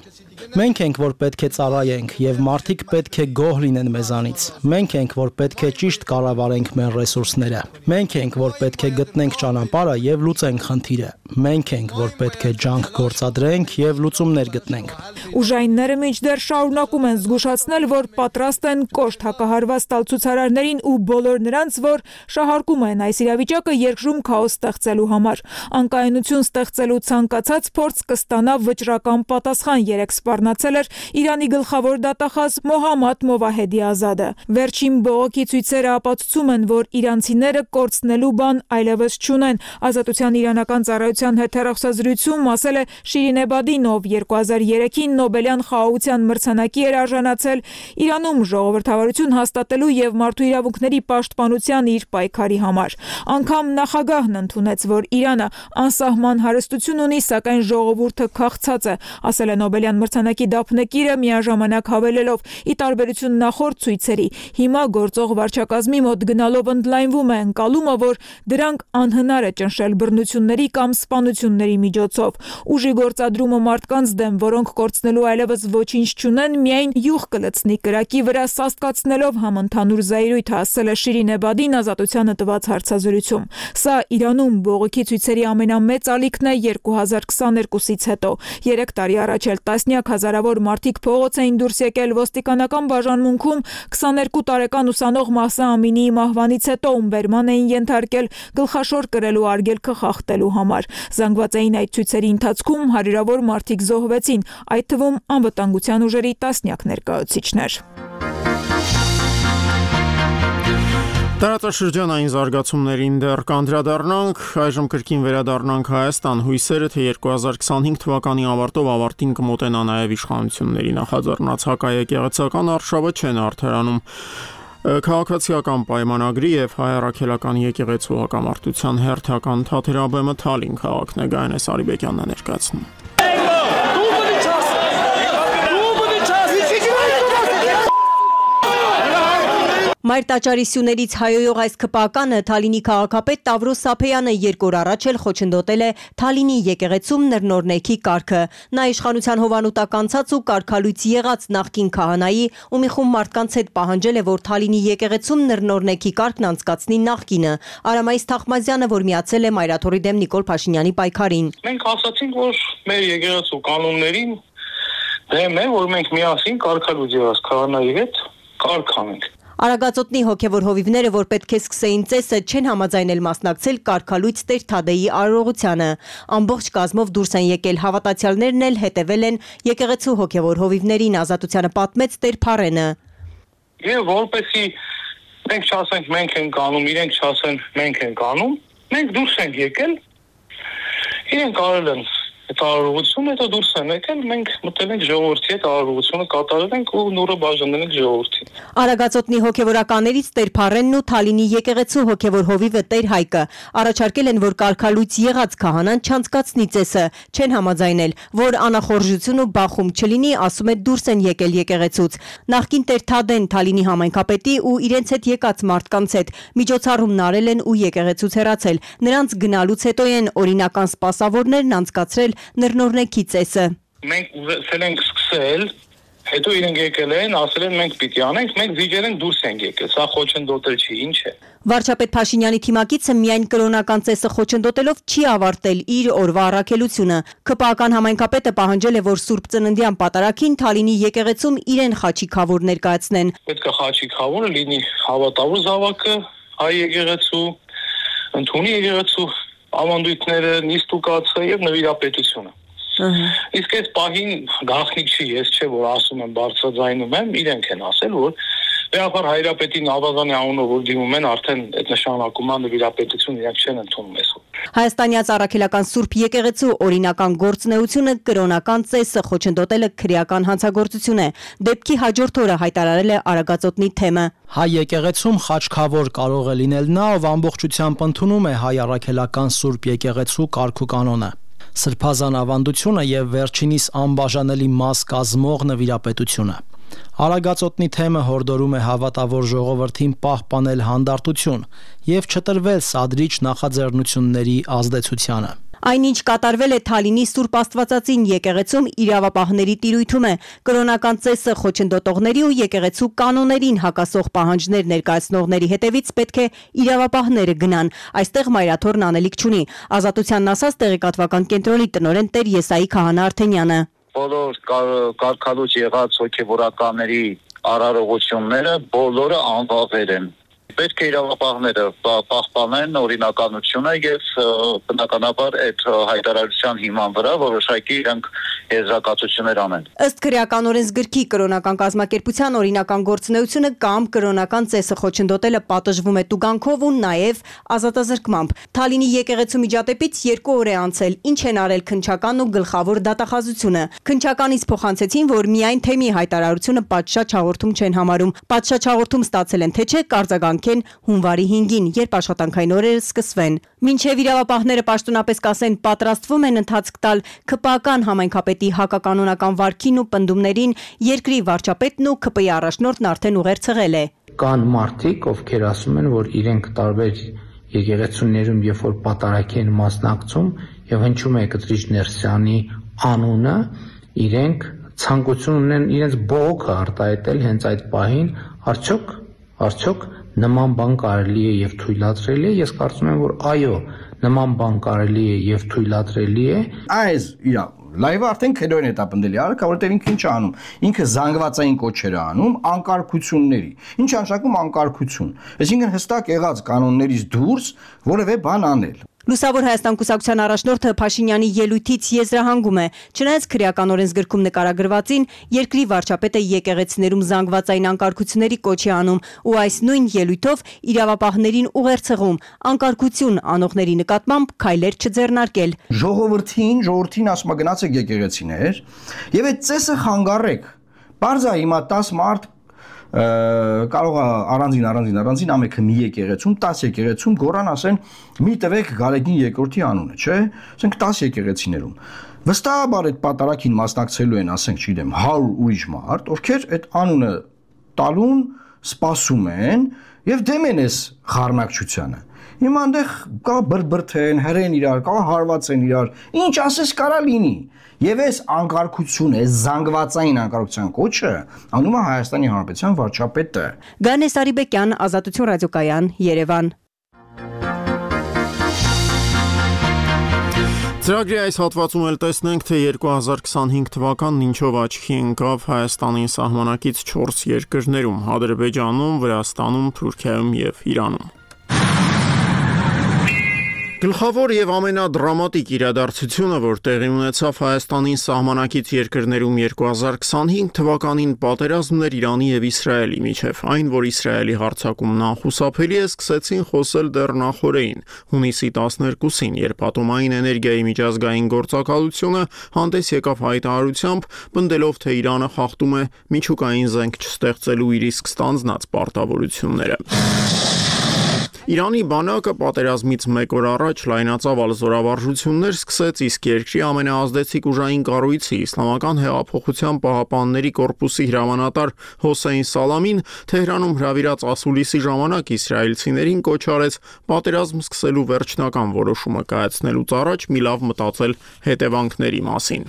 Մենք ենք, որ պետք է ծառայենք եւ մարդիկ պետք է գոհ լինեն մեզանից։ Մենք ենք, որ պետք է ճիշտ կառավարենք մեր ռեսուրսները։ Մենք ենք, որ պետք է գտնենք ճանապարհը եւ լուծենք խնդիրը։ Մենք ենք, որ պետք է ջանք գործադրենք եւ լուծումներ գտնենք։ Ուժայինները մինչդեռ շարունակում են զգուշացնել, որ պատրաստ են կոշտ հակահարված տալ ցուցարարներին ու բոլոր նրանց, որ շահարկում են այս իրավիճակը երկրում քաոս ստեղծելու համար։ Անկայունություն ստեղծելու ցանկացած փորձ կստանա վճռական պատասխան, երեք սպառնացել էր Իրանի գլխավոր դատախազ Մոհամմադ Մովահեդի Ազադը։ Վերջին բողոքի ցույցերը ապացուցում են, որ իրանցիները կորցնելու բան այլևս չունեն։ Ազատության իրանական ծառայության հետ հեռախոսազրույցում ասել է Շիրին Էբադին, ով 2003-ին Նոբելյան խաղաղության մրցանակի էր արժանացել, Իրանում ժողովրդավարություն հաստատելու եւ մարդու իրավունքների պաշտպանության իր պայքարի համար։ Անգամ նախագահն ընդունեց, որ Իրանը անսահման հարստություն ունի, սակայն ժողովուրդը քաղցած է, ասել է Նոբելյան մրցանակի դափնեկիրը, միաժամանակ հավելելով. ի տարբերություն նախորդ ցույցերի, հիմա գործող վարչակազմի մոտ գնալով ընդլայնվում է ընկալումը, որ դրանք անհնար է ճնշել բռնությունների կամ սպանությունների միջոցով։ Ուժի գործադրումը մարդկանց դեմ, որոնք կորցնելու այլևս ոչինչ չունեն, միայն յուղ կլցնի կրակի վրա, սաստկացնելով համընդհանուր զայրույթը, ասել է Շիրին Էբադին Ազատությանը տված հարցազրույցում։ Սա Իրանում բողոքի ցույցերի ամենամեծ ալիքն է 2022-ից հետո։ 3 տարի առաջ էլ տասնյակ հազարավոր մարդիկ փողոց էին դուրս եկել ոստիկանական բաժանմունքում 22 տարեկան ուսանող Մահսա Ամինիի մահվանից հետո ումբերման էին ենթարկել գլխաշոր կրելու արգելքը խախտելու համար։ Զանգվածային այդ ցույցերի ընթացքում հարյուրավոր մարդիկ զոհվեցին, այդ թվում անվտանգության ուժերի տասնյակ ներկայացուցիչներ։ Տարածաշրջանային զարգացումներին դեռ կանդրադառնանք, այժմ կրկին վերադառնանք Հայաստան, հույսերը թե 2025 թվականի ավարտով ավարտին կմոտենա նաև իշխանությունների նախաձեռնած հակաեկեղեցական արշավը չեն արդարանում քաղաքացիական պայմանագրի եւ հայ-առաքելական եկեղեցու հակամարտության հերթական թատերաբեմը Թալին քաղաքն է, Գայանես Արիբեկյանն է ներկայացնում։ Մայր տաճարի սյուներից հայոյող այս քպականը Թալինի քաղաքապետ Տավրոս Սափեյանը երկու օր առաջ էլ խոչընդոտել է Թալինի եկեղեցում նռնորնեքի կարգը։ Նա իշխանության հովանուտակ անցած ու կարգալույց եղած նախկին քահանայի ու մի խումբ մարդկանց հետ պահանջել է, որ Թալինի եկեղեցում նռնորնեքի կարգն անցկացնի նախկինը։ Արամայիս Թախմազյանը, որ միացել է Մայրաթորի դեմ Նիկոլ Փաշինյանի պայքարին։ Մենք ասացինք, որ մեր եկեղեցու կանոններին դեմ է, որ մենք միասին կարգալույց եղած քահանայի հետ կարգ անենք։ Արագածոտնի հոգևոր հովիվները, որ պետք է սկսեին ծեսը, չեն համաձայնել մասնակցել կարգալույց Տեր Թադեի արարողությանը։ Ամբողջ կազմով դուրս են եկել, հավատացյալներն էլ հետևել են եկեղեցու հոգևոր հովիվներին, Ազատությանը պատմեց Տեր Փարենը։ Եվ որպեսի մենք չասենք մենք ենք անում, իրենք չասեն մենք ենք անում, մենք դուրս ենք եկել, իրենք արել են այդ արարողությունը, հետո դուրս են եկել, մենք մտել ենք ժողովրդի հետ արարողությունը կատարել ենք ու նուրը բաժանել ենք ժողովրդին։ Արագածոտնի հոգևորականներից Տեր Փարենն ու Թալինի եկեղեցու հոգևոր հովիվը Տեր Հայկը առաջարկել են, որ կարգալույց եղած քահանան չանցկացնի ծեսը, չեն համաձայնել, որ անախորժություն ու բախում չլինի, ասում է դուրս են եկել եկեղեցուց։ Նախկին Տեր Թադեն Թալինի համայնքապետի ու իրենց հետ եկած մարդկանց հետ միջոցառումն արել են ու եկեղեցուց հեռացել։ Նրանց գնալուց հետո են օրինական սպասավորներն անցկացրել նռնորնեքի ծեսը։ Մենք ուզել ենք սկսել, հետո իրենք եկել են, ասել են մենք պիտի անենք, մենք վիճել ենք դուրս ենք եկել, սա խոչընդոտել չի, ինչ է։ Վարչապետ Փաշինյանի թիմակիցը միայն կրոնական ծեսը խոչընդոտելով չի ավարտել իր օրվա առաքելությունը։ ԿՊԱ-ական համայնքապետը պահանջել է, որ Սուրբ Ծննդյան պատարագին Թալինի եկեղեցում իրեն խաչի խավոր ներկայացնեն։ Պետք է խաչի խավորը լինի հավատավոր զավակը, հայ եկեղեցու, ընդունի եկեղեցու ավանդույթները, նիստուկացը եւ նվիրապետությունը։ Իսկ այս պահին գաղտնիք չի, ես չէ որ ասում եմ բարձրաձայնում եմ, իրենք են ասել, որ Բեախար հայրապետին Աբազանի անունով որ դիմում են, արդեն այդ նշանակում է նվիրապետություն իրենք չեն ընդունում այսօր։ Հայաստանյաց առաքելական Սուրբ եկեղեցու օրինական գործունեությունը կրոնական ծեսը խոչընդոտելը քրեական հանցագործություն է։ Դեպքի հաջորդ օրը հայտարարել է Արագածոտնի թեմը։ Հայ եկեղեցում խաչքավոր կարող է լինել նա, ով ամբողջությամբ ընդունում է հայ առաքելական Սուրբ եկեղեցու կարգուկանոնը։ Սրբազան ավանդությունը եւ վերջինիս անբաժանելի մաս կազմող նվիրապետությունը։ Արագածոտնի թեմը հորդորում է հավատավոր ժողովրդին պահպանել հանդարտություն եւ չտրվել սադրիչ նախաձեռնությունների ազդեցությանը։ Այնինչ կատարվել է Թալինի Սուրբ Աստվածածին եկեղեցում իրավապահների տիրույթում է կրոնական ծեսը խոչընդոտողների ու եկեղեցու կանոններին հակասող պահանջներ ներկայացնողների հետևից պետք է իրավապահները գնան։ Այստեղ Մայրաթորն անելիք չունի։ Ազատությանն ասած տեղեկատվական կենտրոնի տնօրեն Տեր Եսայի Քահանա Արթենյանը։ Բոլոր կարգալույց եղած հոգևորականների արարողությունները բոլորը անվավեր են։ Պետք է իրավապահները պահպանեն օրինականությունը եւ բնականաբար այդ հայտարարության հիման վրա որոշակի իրենք եզրակացություններ անեն։ Ըստ քրեական օրենսգրքի կրոնական կազմակերպության օրինական գործունեությունը կամ կրոնական ծեսը խոչընդոտելը պատժվում է տուգանքով ու նաեւ ազատազրկմամբ։ Թալինի եկեղեցու միջադեպից 2 օր է անցել, ինչ են արել քննչական ու գլխավոր դատախազությունը։ Քննչականից փոխանցեցին, որ միայն թեմի հայտարարությունը պատշաճ հաղորդում չեն համարում։ Պատշաճ հաղորդում ստացել են թե չէ կարձագանքեն հունվարի 5-ին, երբ աշխատանքային օրերը սկսվեն։ Մինչև իրավապահները պաշտոնապես կասեն պատրաստվում են ընթացք տալ ԿՊԱ-ական համայնքապետի հակականոնական վարքին ու պնդումներին, երկրի վարչապետն ու ԿՊ-ի առաջնորդն արդեն ուղերձել է։ Կան մարդիկ, ովքեր ասում են, որ իրենք տարբեր եկեղեցիներում երբ որ պատարագի են մասնակցում եւ հնչում է Կտրիչ Ներսյանի անունը, իրենք ցանկություն ունեն իրենց բողոքը արտահայտել հենց այդ պահին, արդյոք նման բան կարելի է եւ թույլատրելի է։ Ես կարծում եմ, որ այո, նման բան կարելի է եւ թույլատրելի է։ Այս իրա լայվը արդեն քերոն է տապնդելի արքա, որտեղ ինքը ինչ է անում։ Ինքը զանգվածային կոչեր է անում անկարգությունների։ Ինչ անշակում անկարգություն։ Այսինքն հստակ եղած կանոններից դուրս որևէ բան անել։ Լուսավոր Հայաստան կուսակցության առաջնորդը Փաշինյանի ելույթից եզրահանգում է, չնայած քրեական օրենսգրքում նկարագրվածին, երկրի վարչապետը եկեղեցիներում զանգվածային անկարգությունների կոչ է անում ու այս նույն ելույթով իրավապահներին ուղերձեղում անկարգություն անողների նկատմամբ քայլեր չձեռնարկել։ Ժողովրդին ասում է գնացեք եկեղեցիներ եւ այդ ծեսը խանգարեք։ Բարձա հիմա 10 մարդ կարող է առանձին ամեքը մի եկեղեցում 10 եկեղեցում գորան ասեն մի տվեք Գարեգին երկրորդի անունը, չէ՞, ասենք 10 եկեղեցիներում վստահաբար այդ պատարագին մասնակցելու են, ասենք, չգիտեմ, 100 ուրիշ մարդ, ովքեր այդ անունը տալուն սպասում են եւ դեմ են այս խառնակցությանը։ Հիմա այնտեղ կա բրբրթեն, հրեն իրար, կա հարվածեն իրար, ինչ ասես կարա լինի։ Եվ այս անկարգությունը, այս զանգվածային անկարգության կոչը անում է Հայաստանի Հանրապետության վարչապետը։ Գանես Արիբեկյան, Ազատություն ռադիոկայան, Երևան։ Ծրագրի այս հատվածում էլ տեսնենք, թե 2025 թվականն ինչով աչքի ընկավ Հայաստանին սահմանակից 4 երկրներում՝ Ադրբեջանում, Վրաստանում, Թուրքիայում եւ Իրանում։ Գլխավոր եւ ամենադրամատիկ իրադարձությունը, որ տեղի ունեցավ Հայաստանին սահմանակից երկրներում 2025 թվականին, պատերազմն էր Իրանի եւ Իսրայելի միջեւ։ Այն, որ Իսրայելի հարձակումն անխուսափելի է, սկսեցին խոսել դեռ նախօրեին, հունիսի 12-ին, երբ ատոմային էներգիայի միջազգային գործակալությունը հանդես եկավ հայտարարությամբ, պնդելով, թե Իրանը խախտում է միջուկային զենք չստեղծելու իր իսկ ստանձնած պարտավորությունները։ Իրանի բանակը պատերազմից մեկ օր առաջ լայնածավալ զորավարժություններ սկսեց, իսկ երկրի ամենաազդեցիկ ուժային կառույցի Իսլամական հեղափոխության պահապանների կորպուսի հրամանատար Հոսեյն Սալամին Թեհրանում հրավիրած ասուլիսի ժամանակ իսրայելցիներին կոչ արեց պատերազմ սկսելու վերջնական որոշումը կայացնելուց առաջ մի լավ մտածել հետևանքների մասին։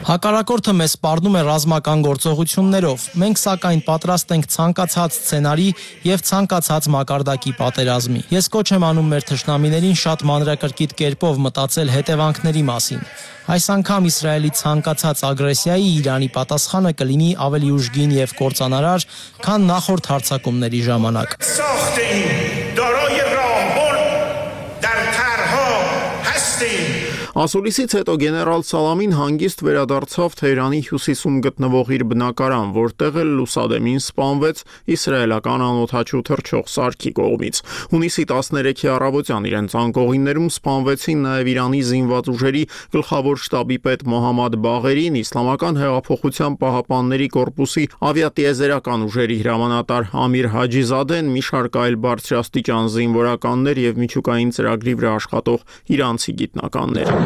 Հակառակորդը մեզ սպառնում է ռազմական գործողություններով։ Մենք սակայն պատրաստ ենք ցանկացած սցենարի եւ ցանկացած մակարդակի պատերազմի։ Ես կոչ եմ անում մեր թշնամիներին շատ մանրակրկիտ կերպով մտածել հետևանքների մասին։ Այս անգամ Իսրայելի ցանկացած ագրեսիայի Իրանի պատասխանը կլինի ավելի ուժգին եւ կործանարար, քան նախորդ հարձակումների ժամանակ։ Ասուլիսից հետո գեներալ Սալամին հանգիստ վերադարձավ Թեհրանի հյուսիսում գտնվող իր բնակարան, որտեղ էլ լուսադեմին սպանվեց իսրայելական անօդաչու թռչող սարքի կողմից։ Հունիսի 13-ի առավոտյան իրենց անկողիններում սպանվեցին նաև Իրանի զինված ուժերի գլխավոր շտաբի պետ Մոհամմադ Բաղերին, Իսլամական հեղափոխության պահապանների կորպուսի ավիատիեզերական ուժերի հրամանատար Ամիր Հաջիզադեն, մի շարք այլ բարձրաստիճան զինվորականներ եւ միջուկային ծրագրի վրա աշխատող իրանցի գիտնականներ։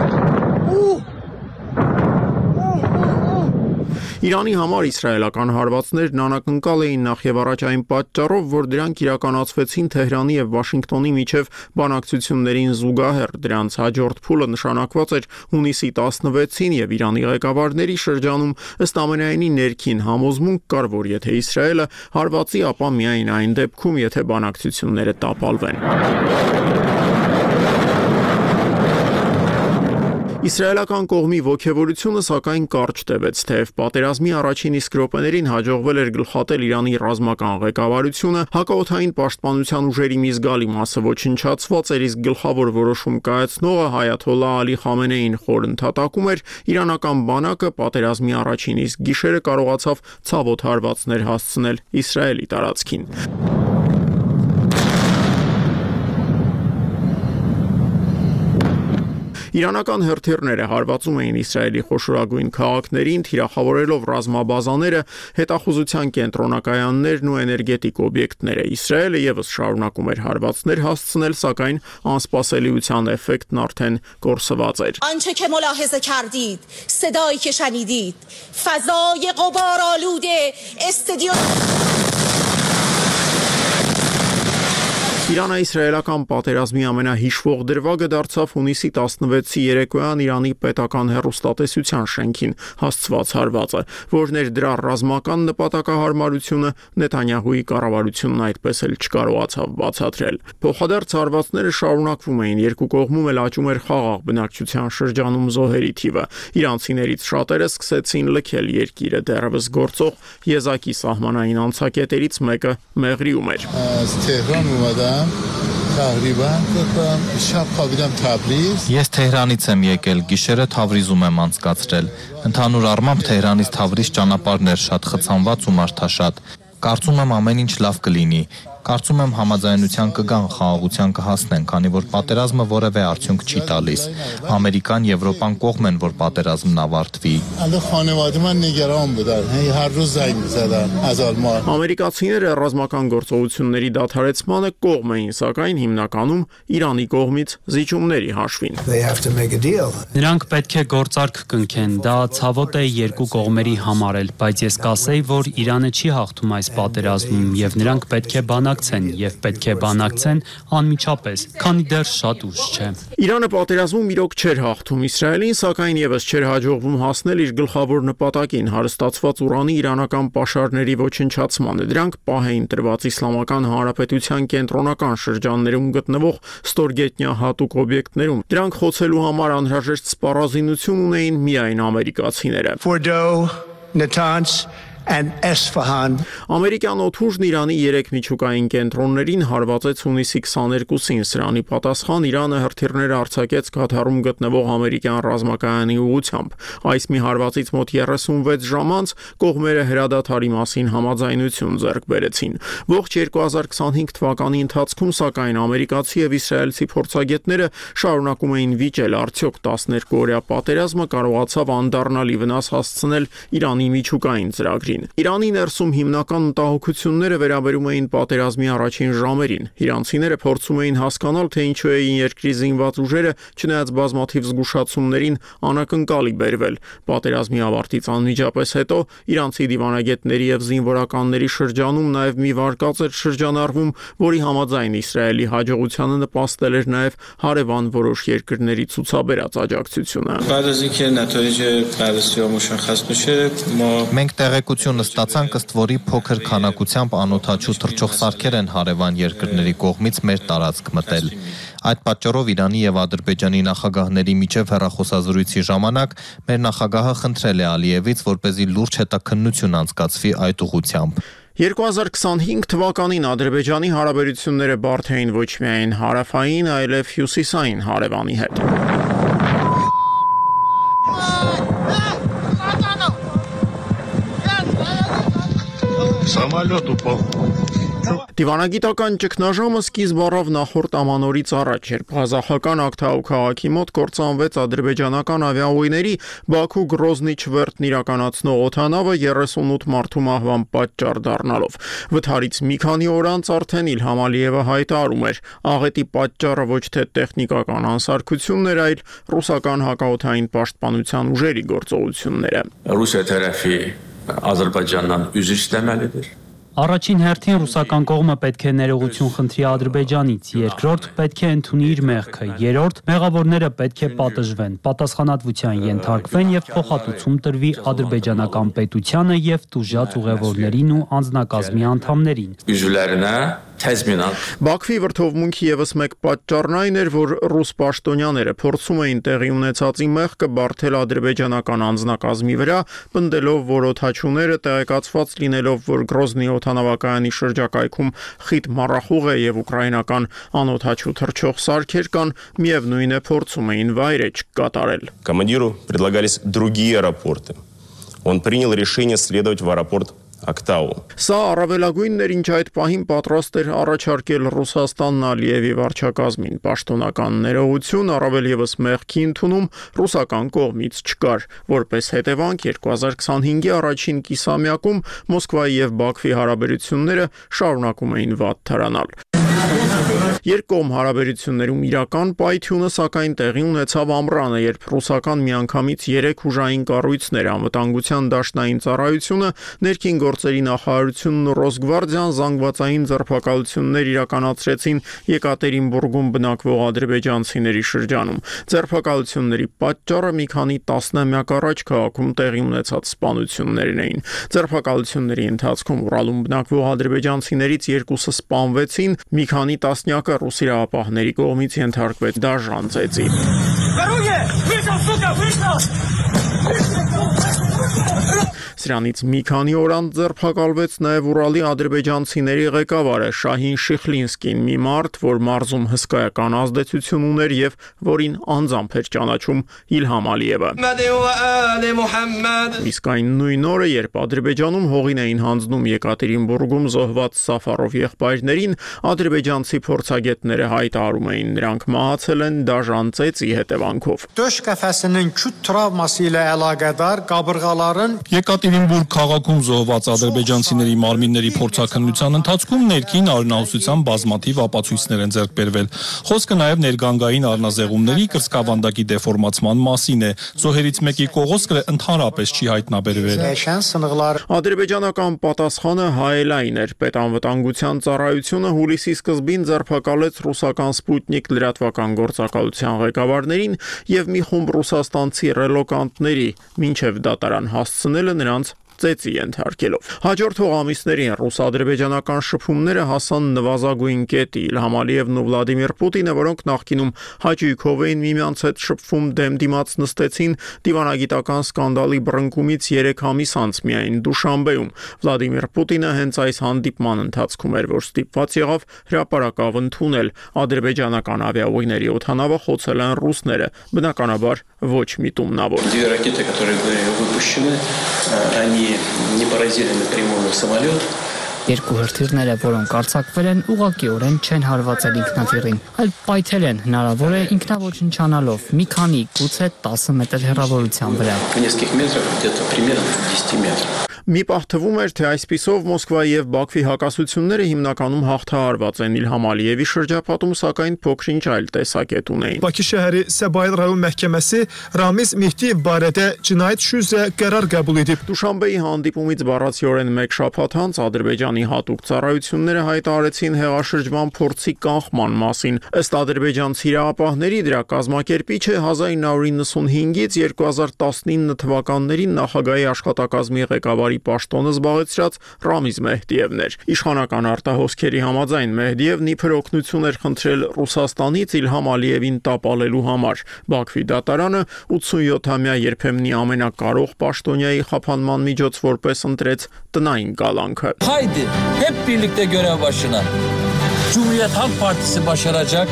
Իրանի համար իսրայելական հարվածներն անակնկալ էին նախ եւ առաջ այն պատճառով, որ դրանք իրականացվեցին Թեհրանի եւ Վաշինգտոնի միջև բանակցություններին զուգահեռ։ Դրանց հաջորդ փուլը նշանակված էր հունիսի 16-ին եւ Իրանի ղեկավարների շրջանում ըստ ամենայնի ներքին համոզմունք կար, որ եթե Իսրայելը հարվածի, ապա միայն այն դեպքում, եթե բանակցությունները տապալվեն։ Իսրայելական կողմի ոգևորությունը սակայն կարճ տևեց, թեև պատերազմի առաջին իսկ րոպեներին հաջողվել էր գլխատել Իրանի ռազմական ղեկավարությունը, հակաօդային պաշտպանության ուժերի մի զգալի մասը ոչնչացված էր, իսկ գլխավոր որոշում կայացնողը Այաթոլլահ Ալի Խամենեին խոր ընդհատակում էր, իրանական բանակը պատերազմի առաջին իսկ գիշերը կարողացավ ցավոտ հարվածներ հասցնել Իսրայելի տարածքին։ Իրանական հրթիռները հարվածում էին Իսրայելի խոշորագույն քաղաքներին, թիրախավորելով ռազմաբազաները, հետախուզության կենտրոնակայաններն ու էներգետիկ օբյեկտները։ Իսրայելը եւս շարունակում էր հարվածներ հասցնել, սակայն անսպասելիության էֆեկտն արդեն կորսված էր։ آنچه که ملاحظه کردید، صدایی که شنیدید، فضای غبارآلود استادیوم Իրано-իսրայելական պատերազմի ամենահիշվող դրվագը դարձավ հունիսի 16-ի երեկոյան Իրանի պետական հեռուստատեսության շենքին հասցված հարվածը, որն էր դրա ռազմական նպատակահարմարությունը Նեթանյահուի կառավարությունն այդպես էլ չկարողացավ բացատրել։ Փոխադարձ հարվածները շարունակվում էին, երկու կողմում էլ աճում էր խաղաղ բնակչության շրջանում զոհերի թիվը։ Իրանցիներից շատերը սկսեցին լքել երկիրը, դեռևս գործող եզակի սահմանային անցակետերից մեկը Մեղրիում էր։ Ես Թեհրանից եմ եկել, գիշերը Թավրիզում եմ անցկացրել։ Ընդհանուր առմամբ Թեհրանից Թավրիզ ճանապարհն էր շատ խցանված ու մարդաշատ։ Կարծում եմ ամեն ինչ լավ կլինի։ Կարծում եմ համաձայնության կգան, խաղաղության կհասնեն, քանի որ պատերազմը որևէ արդյունք չի տալիս։ Ամերիկան, Եվրոպան կողմ են, որ պատերազմն ավարտվի։ Ամերիկացիները ռազմական գործողությունների դադարեցմանը կողմ էին, սակայն հիմնականում Իրանի կողմից զիջումների հաշվին։ Նրանք պետք է գործարք կնքեն, դա ցավոտ է երկու կողմերի համար էլ, բայց ես կասեի, որ Իրանը չի հաղթում այս պատերազմում եւ նրանք պետք է բանակցեն եւ պետք է բանակցեն անմիջապես, քանի դեռ շատ ուշ չէ։ Իրանը պատերազմում իրոք չէր հաղթում Իսրայելին, սակայն եւս չէր հաջողվում հասնել իր գլխավոր նպատակին՝ հարստացված ուրանի իրանական պաշարների ոչնչացմանը։ Դրանք պահ էին տրված Իսլամական Հանրապետության կենտրոնական շրջաններում գտնվող ստորգետնյա հատուկ օբյեկտներում։ Դրանք խոցելու համար անհրաժեշտ սպառազինություն ունեին միայն ամերիկացիները։ Ամերիկյան օդուժն Իրանի 3 միջուկային կենտրոններին հարվածեց հունիսի 22-ին։ Սրանի պատասխան Իրանը հրթիռներ արձակեց Կաթարում գտնվող ամերիկյան ռազմակայանի ուղղությամբ։ Այս մի հարվածից մոտ 36 ժամ անց կողմերը հրադադարի մասին համաձայնություն ձեռք բերեցին։ Ողջ 2025 թվականի ընթացքում, սակայն, ամերիկացի եւ իսրայելցի փորձագետները շարունակում էին վիճել, արդյոք 12-օրյա պատերազմը կարողացավ անդառնալի վնաս հասցնել Իրանի միջուկային ծրագրին։ Իրանի ներսում հիմնական մտահոգությունները վերաբերում էին պատերազմի առաջին ժամերին։ Իրանցիները փորձում էին հասկանալ, թե ինչու էին երկրի զինված ուժերը, չնայած բազմաթիվ զգուշացումներին, անակնկալի բերվել։ Պատերազմի ավարտից անմիջապես հետո իրանցի դիվանագետների եւ զինվորականների շրջանում նաեւ մի վարկած էր շրջանառվում, որի համաձայն Իսրայելի հաջողությանը նպաստել էր նաեւ հարևան որոշ երկրների ցուցաբերած աջակցությունը։ Մենք տեղեկություն ստացանք, ըստ որի փոքր քանակությամբ անօդաչու թռչող սարքեր են հարևան երկրների կողմից մեր տարածք մտել։ Այդ պատճառով Իրանի եւ Ադրբեջանի նախագահների միջև հեռախոսազրույցի ժամանակ մեր նախագահը խնդրել է Ալիևից, որպեսզի լուրջ հետաքննություն անցկացվի այդ ուղղությամբ։ 2025 թվականին Ադրբեջանի հարաբերությունները բարդ էին ոչ միայն հարավային, այլև հյուսիսային հարևանի հետ։ Самолет упал. Դիվանագիտական ճգնաժամը սկիզբ առավ նախորդ ամանորից առաջ, երբ ղազախական Ակթաու քաղաքի մոտ կործանվեց ադրբեջանական ավիաուղիների Բաքու Գրոզնի չվերթն իրականացնող օդանավը 38 մարդու մահվան պատճառ դառնալով։ Վթարից մի քանի օր անց արդեն Իլհամ Ալիևը հայտարարում էր, աղետի պատճառը ոչ թե տեխնիկական անսարքությունն էր, այլ ռուսական հակաօդային պաշտպանության ուժերի գործողությունները։ Ռուսիա tərəfi Ադրբեջանdan üzr istəməlidir. Առաջին հերթին ռուսական կողմը պետք է ներողություն խնդրի Ադրբեջանից, երկրորդ պետք է ընդունի իր մեղքը, երրորդ մեղավորները պետք է պատժվեն, պատասխանատվության ենթարկվեն եւ փոխհատուցում տրվի ադրբեջանական պետությանը եւ տուժած ուղևորներին ու անձնակազմի անդամներին։ Üzvlərinə təzminat. Բաքվի վրթովմունքի եւս մեկ պատճառն այն էր, որ ռուս պաշտոնյաները փորձում էին տեղի ունեցածի մեղքը բարթել ադրբեջանական անձնակազմի վրա, պնդելով, որ օդաչուները տեղեկացված լինելով, որ Գրոզնի օդանավակայանի շրջակայքում խիտ մառախուղ է եւ ուկրաինական անօդաչու թռչող սարքեր կան, միևնույն է փորձում էին վայրեջք կատարել։ Командиру предлагались другие аэропорты. Он принял решение следовать в аэропорт Ակտաու։ Սա առավելագույնն էր, ինչ այդ պահին պատրաստ էր առաջարկել Ռուսաստանն Ալիևի վարչակազմին։ Պաշտոնական ներողություն, առավել եւս մեղքի ընդունում ռուսական կողմից չկար։ Որպես հետևանք 2025-ի առաջին կիսամյակում Մոսկվայի եւ Բաքվի հարաբերությունները շարունակում էին վատ թրանալ։ Երկկողմ հարաբերություններում իրական պայթյունը սակայն տեղի ունեցավ ամռանը, երբ ռուսական միանգամից 3 ուժային կառույցներ, անվտանգության դաշնային ծառայությունը, ներքին գործերի նախարարությունն ու Ռոսգվարդիան զանգվածային ձերբակալություններ իրականացրեցին Եկատերինբուրգում բնակվող ադրբեջանցիների շրջանում։ Ձերբակալությունների պատճառը մի քանի տասնամյակ առաջ քաղաքում տեղի ունեցած սպանություններն էին։ Ձերբակալությունների ընթացքում Ուրալում բնակվող ադրբեջանցիներից 2-ը սպանվեցին, մի քանի տասնյակը ռուս իրավապահների կողմից ենթարկվեց դաժան ծեծի։ Սրանից մի քանի օր անց ձերբակալվեց նաև Ուրալի ադրբեջանցիների ղեկավարը Շահին Շիխլինսկին, մի մարդ, որ մարզում հսկայական ազդեցություն ուներ եւ որին անձամբ էր ճանաչում Իլհամ Ալիևը։ Իսկ այն նույն օրը, երբ Ադրբեջանում հողին էին հանձնում Եկատերինբուրգում զոհված Սաֆարով եղբայրներին, ադրբեջանցի փորձագետները հայտարարում էին, նրանք մահացել են դաժան ծեծի հետևանքով։ Döş qəfəsinin küt travması ilə əlaqədar qabırğaların Եկատերինբուրգ քաղաքում զոհված ադրբեջանցիների մարմինների փորձաքննության ընթացքում ներքին արյունահոսության բազմաթիվ ապացույցներ են ձեռք բերվել։ Խոսքը նաև ներգանգային առնազեղումների կրծքավանդակի դեֆորմացման մասին է։ Զոհերից մեկի կողոսկրը ընդհանրապես չի հայտնաբերվել։ Ադրբեջանական պատասխանը հայելային էր։ Պետանվտանգության ծառայությունը հուլիսի սկզբին ձերբակալեց ռուսական Սպուտնիկ լրատվական գործակալության ղեկավարներին եւ մի խումբ ռուսաստանցի ռելոկանտների, մինչեւ դատարան հասցնելը նրանց ծեծի ենթարկելով։ Հաջորդող ամիսներին ռուս-ադրբեջանական շփումները հասան նվազագույն կետի։ Իլհամ Ալիևն ու Վլադիմիր Պուտինը, որոնք նախկինում հաճույքով էին միմյանց հետ շփվում, դեմ-դիմաց նստեցին դիվանագիտական սկանդալի բռնկումից 3 ամիս անց միայն Դուշանբեում։ Վլադիմիր Պուտինը հենց այս հանդիպման ընթացքում էր, որ ստիպված եղավ հրապարակավ ընդունել ադրբեջանական ավիաուղիների օդանավը խոցել են ռուսները, բնականաբար ոչ միտումնավոր։ Не поразили напрямую самолет. Երկու հրթիռները, որոնք արձակվել են, ուղղակիորեն չեն հարվածել ինքնաթիռին, այլ պայթել են, հնարավոր է ինքնաոչնչանալով մի քանի, գուցե 10 մետր հեռավորության վրա։ В нескольких метрах, где-то примерно в 10 метрах. Մի պահ թվում էր, թե այսպիսով Մոսկվայի եւ Բաքվի հակասությունները հիմնականում հաղթահարված են։ Իլհամ Ալիևի շրջապատում սակայն փոքրինչ այլ տեսակետ ունեին։ Bakı şəhəri Səbail rayon məhkəməsi Ramiz Mehdiyev barədə cinayət işi üzrə qərar qəbul edib. Դուշանբեի հանդիպումից բառացիորեն մեկ շաբաթ անց Ադրբեջանի հատուկ ծառայությունները հայտարարեցին հեղաշրջման փորձի կանխման մասին։ Ըստ ադրբեջանցի իրավապահների դրա կազմակերպիչը 1995-ից 2019 թվականներին նախագահի աշխատակազմի ղեկավարի պաշտոնը զբաղեցրած Ռամիզ Մեհդիևն էր։ Իշխանական արտահոսքերի համաձայն Մեհդիևն իբր օգնություն էր խնդրել Ռուսաստանից Իլհամ Ալիևին տապալելու համար։ Բաքվի դատարանը 87-ամյա երբեմնի ամենակարող պաշտոնյայի խափանման միջոց որպես ընտրեց տնային կալանքը։ Haydi hep birlikte görev başına. Cumhuriyet Halk Partisi başaracak.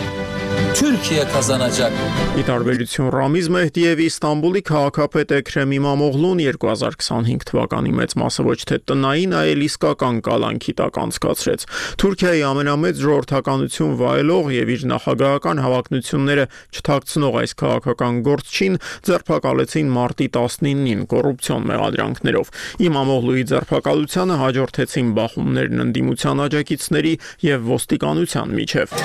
Türkiye kazanacak. Ի տարբերություն Ռամիզ Մեհդիևի Ստամբուլի քաղաքապետ Էքրեմ Իմամօղլուն 2025 թվականի մեծ մասը ոչ թե տնային, այլ իսկական կալանքի տակ անցկացրեց։ Թուրքիայի ամենամեծ ժողովրդականություն վայելող եւ իր նախագահական հավակնությունները չթաքցնող այս քաղաքական գործչին ձերբակալեցին մարտի 19-ին կոռուպցիոն մեղադրանքներով։ Իմամօղլուի ձերբակալությանը հաջորդեցին բախումներն ընդդիմության աջակիցների եւ ոստիկանության միջև։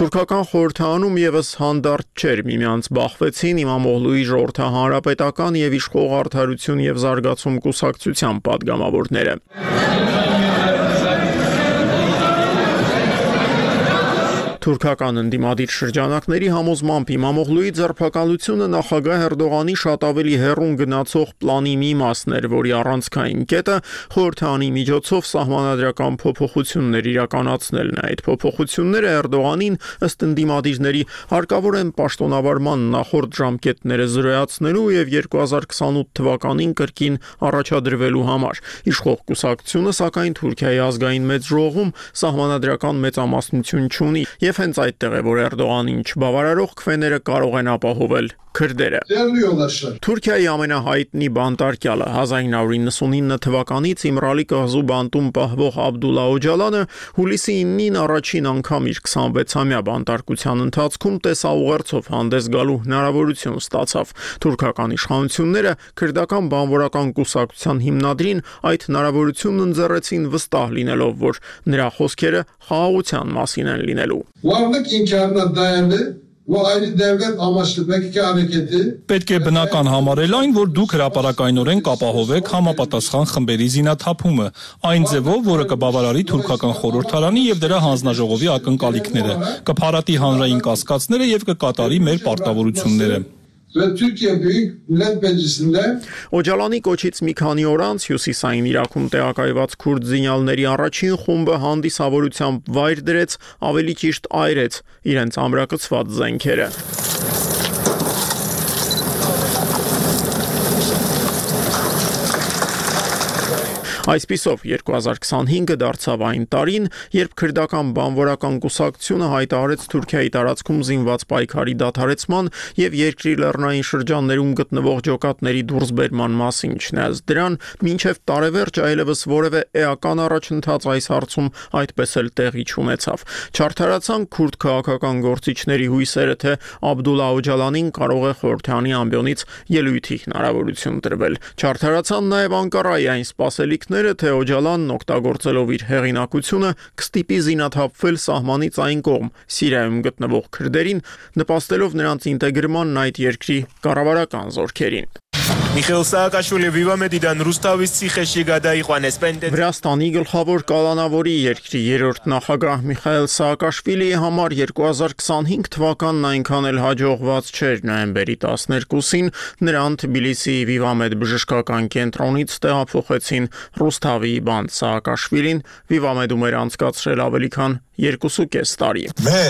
Թուրքական խորհրդանում եւս հանդարտ չէր, միմյանց բախվեցին Իմամօղլուի ժողովրդահանրապետական եւ իշխող արդարություն եւ զարգացում կուսակցության падգամավորները։ Թուրքական ընդդիմադիր շրջանակների համոզմամբ Իմամօղլուի ձերբակալությունը նախագահ Էրդողանի շատ ավելի հեռուն գնացող պլանի մի մասն էր, որի առանցքային կետը խորհրդանի միջոցով սահմանադրական փոփոխություններ իրականացնելն է։ Այդ փոփոխությունները Էրդողանին ըստ ընդդիմադիրների հարկավոր են պաշտոնավարման նախորդ ժամկետները զրոյացնելու եւ 2028 թվականին կրկին առաջադրվելու համար։ Իշխող կուսակցությունը սակայն Թուրքիայի ազգային մեծ ժողովում սահմանադրական մեծամասնություն չունի եւ հենց այդտեղ է, որ Էրդողանին չբավարարող քվեները կարող են ապահովել քրդերը։ Թուրքիայի ամենահայտնի բանտարկյալը 1999 թվականից Իմրալի կղզու բանտում պահվող Աբդուլլա Օջալանը հուլիսի 9-ին առաջին անգամ իր 26-ամյա բանտարկության ընթացքում տեսաուղերձով հանդես գալու հնարավորություն ստացավ։ Թուրքական իշխանությունները քրդական բանվորական կուսակցության հիմնադրին այդ հնարավորությունն ընձեռեցին վստահ լինելով, որ նրա խոսքերը խաղաղության մասին են լինելու։ Varlık inkarına dayalı ve ayrı devlet amaçlı PKK hareketi Պետք է բնական համարել այն, որ դուք հրապարակայնորեն կապահովեք համապատասխան խմբերի զինաթափումը, այն ձևով, որը կբավարարի թուրքական խորհրդարանի եւ դրա հանձնաժողովի ակնկալիքները, կփարատի հանրային կասկածները եւ կկատարի մեր պարտավորությունները։ ve Türkiye Büyük Millet Meclisi'nde Օջալանի կոչից մի քանի օր անց հյուսիսային Իրաքում տեղակայված քուրդ զինյալների առաջին խումբը հանդիսավորությամբ վայր դրեց, ավելի ճիշտ այրեց իրենց ամրակցված զենքերը։ Այսպիսով 2025-ը դարձավ այն տարին, երբ քրդական բանվորական կուսակցությունը հայտարարեց Թուրքիայի տարածքում զինված պայքարի դադարեցման եւ երկրի լեռնային շրջաններում գտնվող ջոկատների դուրսբերման մասին, չնայած դրան մինչև տարեվերջ այլևս որևէ էական առաջընթաց այս հարցում այդպես էլ տեղի չունեցավ։ Չարթարացան քուրդ քաղաքական գործիչների հույսերը, թե Աբդուլլա Օջալանին կարող է խորհրդանի ամբիոնից ելույթի հնարավորություն տրվել։ Չարթարացան նաև Անկարայի այն սպասելիքները, թե Օջալանն օգտագործելով իր հեղինակությունը կստիպի զինաթափվել սահմանից այն կողմ Սիրիայում գտնվող քրդերին, նպաստելով նրանց ինտեգրմանն այդ երկրի կառավարական զորքերին։ Միխայել Սաակաշվիլի վիվամեդիդան Ռուստավից Ցիխեշի գադայի Խանեսպենդե Վրաստանի գլխավոր կալանավորի երկրի երրորդ նախագահ Միխայել Սաակաշվիլիի համար 2025 թվականն այնքան էլ հաջողված չէր։ Նոյեմբերի 12-ին նրան Թբիլիսիի Վիվամեդ բժշկական կենտրոնից տեղափոխեցին Ռուստավի բանդ Սաակաշվիլին Վիվամեդում էր անցկացրել ավելի քան 2.5 տարի։ Մե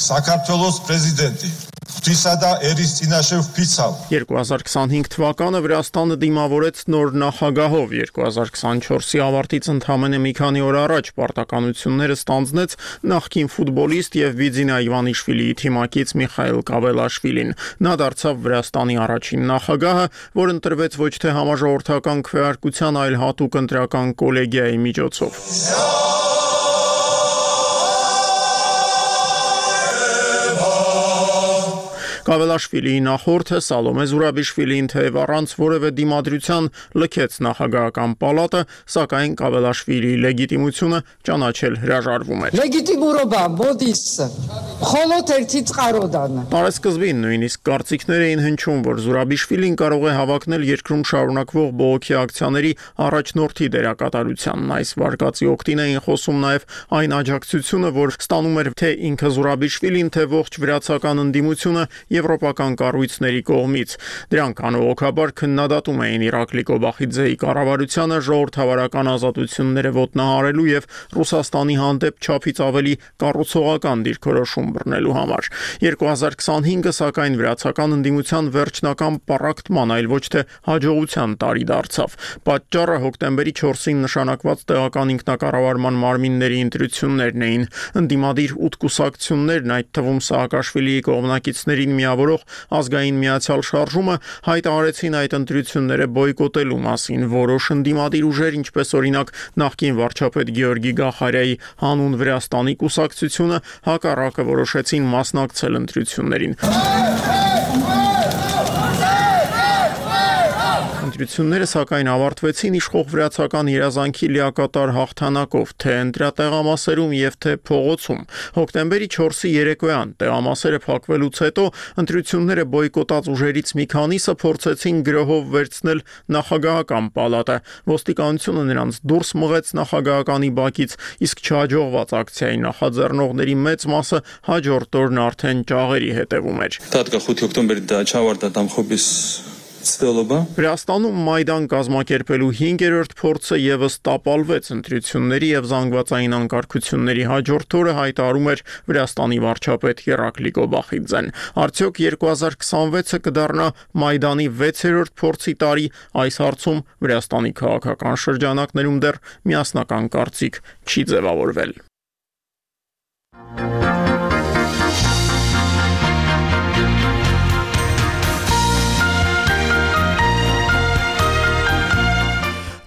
Սակարթվելոս պրեզիդենտի 2025 թվականը Վրաստանը դիմավորեց նոր նախագահով 2024-ի ավարտից ընդամենը մի քանի օր առաջ պարտականությունները ստանձնեց նախկին ֆուտբոլիստ եւ Վիձինա Իվանիշվիլիի թիմակից Միխայել Կավելաշվիլին։ Նա դարձավ Վրաստանի առաջին նախագահը, որ ընտրվեց ոչ թե համաժողովրդական քվեարկության, այլ հատուկ ընտրական կոլեգիայի միջոցով։ Կավելաշվիլիի նախորդը Սալոմե Զուրաբիշվիլին թեև առանց որևէ դիմադրության լքեց նախագահական պալատը, սակայն Կավելաշվիլիի լեգիտիմությունը ճանաչել հրաժարվում էր։ Լեգիտիմուրոբա բոդիս խոլոթերցից qarոդանը։ Տարեսկզբին նույնիսկ կարծիքներ էին հնչում, որ Զուրաբիշվիլին կարող է հավակնել երկրում շարունակվող բողոքի ակցիաների առաջնորդի դերակատարությանն։ Այս վարկածի օգտին էին խոսում նաև այն աջակցությունը, որ ստանում էր թե ինքը Զուրաբիշվիլին, թե ողջ վրացական ընդդիմությունը եվրոպական կառույցների կողմից։ Դրանք անողոքաբար քննադատում էին Իրակլի Կոբախիձեի կառավարությանը ժողովրդավարական ազատությունները ոտնահարելու եւ Ռուսաստանի հանդեպ չափից ավելի կառուցողական դիրքորոշում բռնելու համար։ 2025-ը սակայն վրացական ընդդիմության վերջնական պառակտման, այլ ոչ թե հաջողության տարի դարձավ։ Պատճառը հոկտեմբերի 4-ին նշանակված տեղական ինքնակառավարման մարմինների ընտրություններն էին։ Ընդդիմադիր 8 կուսակցություններն, այդ թվում Սաակաշվիլիի կողմնակիցներին միավորող ազգային միացյալ շարժումը հայտարարեցին այդ ընտրությունները բոյկոտելու մասին։ Որոշ ընդդիմադիր ուժեր, ինչպես օրինակ նախկին վարչապետ Գեորգի Գախարյայի հանուն Վրաստանի կուսակցությունը, հակառակը որոշեցին մասնակցել ընտրություններին։ Ընտրությունները սակայն ավարտվեցին իշխող վրացական երազանքի լիակատար հաղթանակով, թե ընտրատեղամասերում եւ թե փողոցում։ Հոկտեմբերի 4-ի երեկոյան տեղամասերը փակվելուց հետո ընտրությունները բոյկոտած ուժերից մի քանիսը փորձեցին գրոհով վերցնել նախագահական պալատը։ Ոստիկանությունը նրանց դուրս մղեց նախագահականի բակից, իսկ չհաջողված ակցիայի նախաձեռնողների մեծ մասը հաջորդ օրն արդեն ճաղերի հետևում էր։ Վրաստանում Մայդան կազմակերպելու 5-րդ փորձը եւս տապալվեց ընտրությունների եւ զանգվածային անկարգությունների հաջորդ օրը հայտարարում էր Վրաստանի վարչապետ Իրակլի Կոբախիձեն։ Արդյոք 2026-ը կդառնա Մայդանի 6-րդ փորձի տարի, այս հարցում Վրաստանի քաղաքական շրջանակներում դեռ միասնական կարծիք չի ձևավորվել։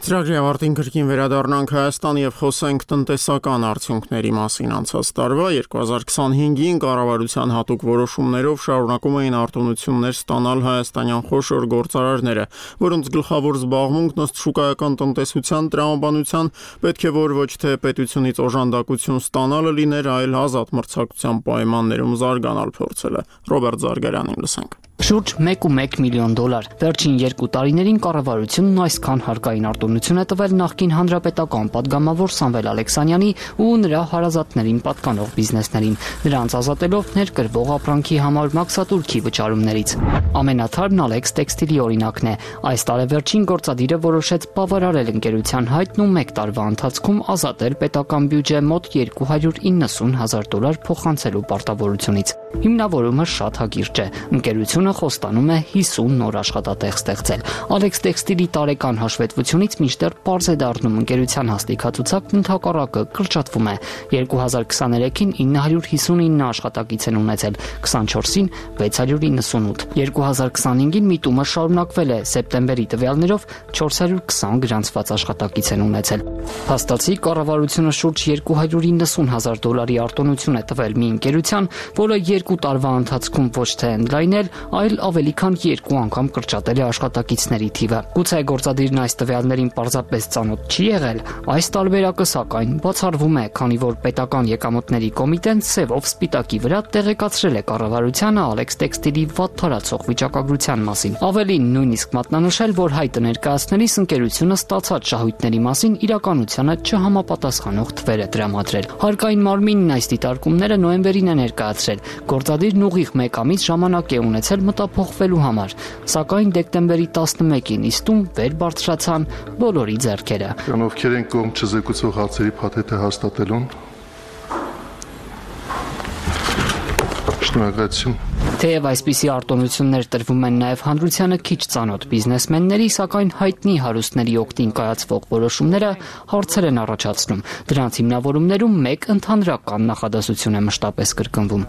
Ծրագրի ավարտին կրկին վերադառնանք Հայաստան եւ խոսենք տնտեսական արդյունքների մասին։ Անցած տարվա 2025-ին կառավարության հատուկ որոշումներով շարունակում էին արտոնություններ ստանալ հայաստանյան խոշոր գործարարները, որոնց գլխավոր զբաղմունքն ըստ շուկայական տնտեսության տրամաբանության պետք է որ ոչ թե պետությունից օժանդակություն ստանալը լիներ, այլ ազատ մրցակցության պայմաններում զարգանալ փորձելը։ Ռոբերտ Զարգարյանին լսենք։ Շուրջ 1.1 միլիոն դոլար։ Վերջին 2 տարիներին կառավարությունն այսքան հարկային արտոնություն է տվել նախկին հանրապետական падգամավոր Սամվել Ալեքսանյանի ու նրա հարազատներին պատկանող բիզնեսներին, նրանց ազատելով ներկրվող ապրանքի համար մաքսատուրքի վճարումներից։ Ամենաթարմն Ալեքս տեքստիլի օրինակն է։ Այս տարեվերջին գործադիրը որոշեց բավարարել ընկերության հայտն ու 1 տարվա ընթացքում ազատել պետական բյուջե մոտ 290,000 դոլար փոխանցելու պարտավորությունից։ Հիմնավորումը շատ հակիրճ է։ Ընկերությունը ընկերությունը խոստանում է 50 նոր աշխատատեղ ստեղծել։ Alex Textile-ի տարեկան հաշվետվությունից մինչդեռ պարզ է դառնում ընկերության հաստիքացուցակն ընդհակառակը կրճատվում է։ 2023-ին 959 աշխատակից են ունեցել, 24-ին 698։ 2025-ին միտումը շարունակվել է, սեպտեմբերի տվյալներով 420 գրանցված աշխատակից են ունեցել։ Փաստացի կառավարությունը շուրջ $290,000 արտոնություն է տվել մի ընկերության, որը 2 տարվա ընթացքում ոչ թե ընդլայնել, այլ ավելի քան 2 անգամ կրճատել է աշխատակիցների թիվը։ Գուցե գործադիրն այս տվյալներին պարզապես ծանոթ չի եղել, այս տարբերակը սակայն բացառվում է, քանի որ պետական եկամուտների կոմիտեն սևով սպիտակի վրա տեղեկացրել է կառավարությանը Alex Textile-ի վատ թարացող վիճակագրության մասին։ Ավելին նույնիսկ մատնանշել, որ հայտը ներկայացնելիս ընկերությունը ստացած շահույթների մասին իրականությանը չհամապատասխանող թվեր է տրամադրել։ Հարկային մարմինն այս դիտարկումները նոյեմբերին է ներկայացրել։ Գործադիրն ուղիղ 1 ամիս ժամանակ է ունեցել մտափոխվելու համար, սակայն դեկտեմբերի 11-ին իստում վեր բարձրացան բոլորի ձեռքերը։ Ովքեր են կողմ չզեկուցող հարցերի փաթեթը հաստատելուն։ Շնորհակալություն։ Թեև այսպիսի արտոնություններ տրվում են նաև հանրությանը քիչ ծանոթ բիզնեսմենների, սակայն հայտնի հարուստների օգտին կայացվող որոշումները հարցեր են առաջացնում։ Դրանց հիմնավորումներում մեկ ընդհանրական նախադասություն է մշտապես կրկնվում։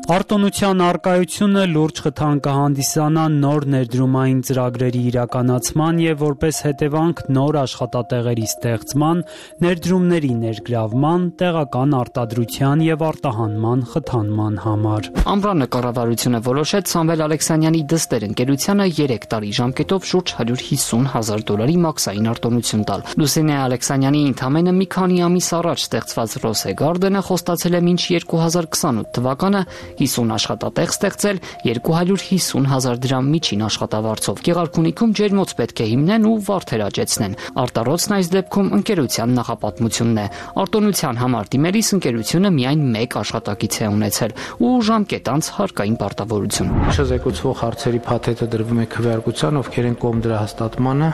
Արտոնության արկայությունը լուրջ խթան կհանդիսանա նոր ներդրումային ծրագրերի իրականացման եւ որպես հետևանք նոր աշխատատեղերի ստեղծման, ներդրումների ներգրավման, տեղական արտադրության եւ արտահանման խթանման համար։ Ամռանը կառավարությունը որոշեց Սամվել Ալեքսանյանի դստեր ընկերությանը 3 տարի ժամկետով շուրջ $150,000 մաքսային արտոնություն տալ։ Լուսինե Ալեքսանյանի ընդամենը մի քանի ամիս առաջ ստեղծված Rose Garden-ը խոստացել է մինչ 2028 թվականը 50 աշխատատեղ ստեղծել 250,000 դրամ միջին աշխատավարձով։ Գեղարքունիքում ջերմոց պետք է հիմնեն ու վարդեր աճեցնեն։ Արտառոցն այս դեպքում ընկերության նախապատմությունն է։ Արտոնության համար դիմելիս ընկերությունը միայն 1 աշխատակից է ունեցել ու ժամկետ անց հարկային պարտավորություն։ Չզեկուցվող հարցերի փաթեթը դրվում է քվեարկության, ովքեր են կողմ դրա հաստատմանը։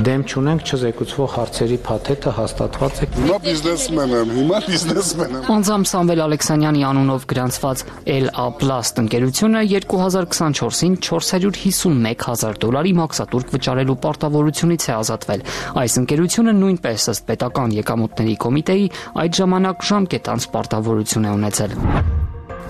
Դեմ չունենք, չզեկուցվող հարցերի փաթեթը հաստատված է։ Հիմա բիզնեսմեն եմ։ Անձամբ Սամվել Ալեքսանյանի անունով գրանցված LA Plast ընկերությունը 2024-ին $451,000 մաքսատուրք վճարելու պարտավորությունից է ազատվել։ Այս ընկերությունը նույնպես ըստ պետական եկամուտների կոմիտեի այդ ժամանակ ժամկետ անց պարտավորություն է ունեցել։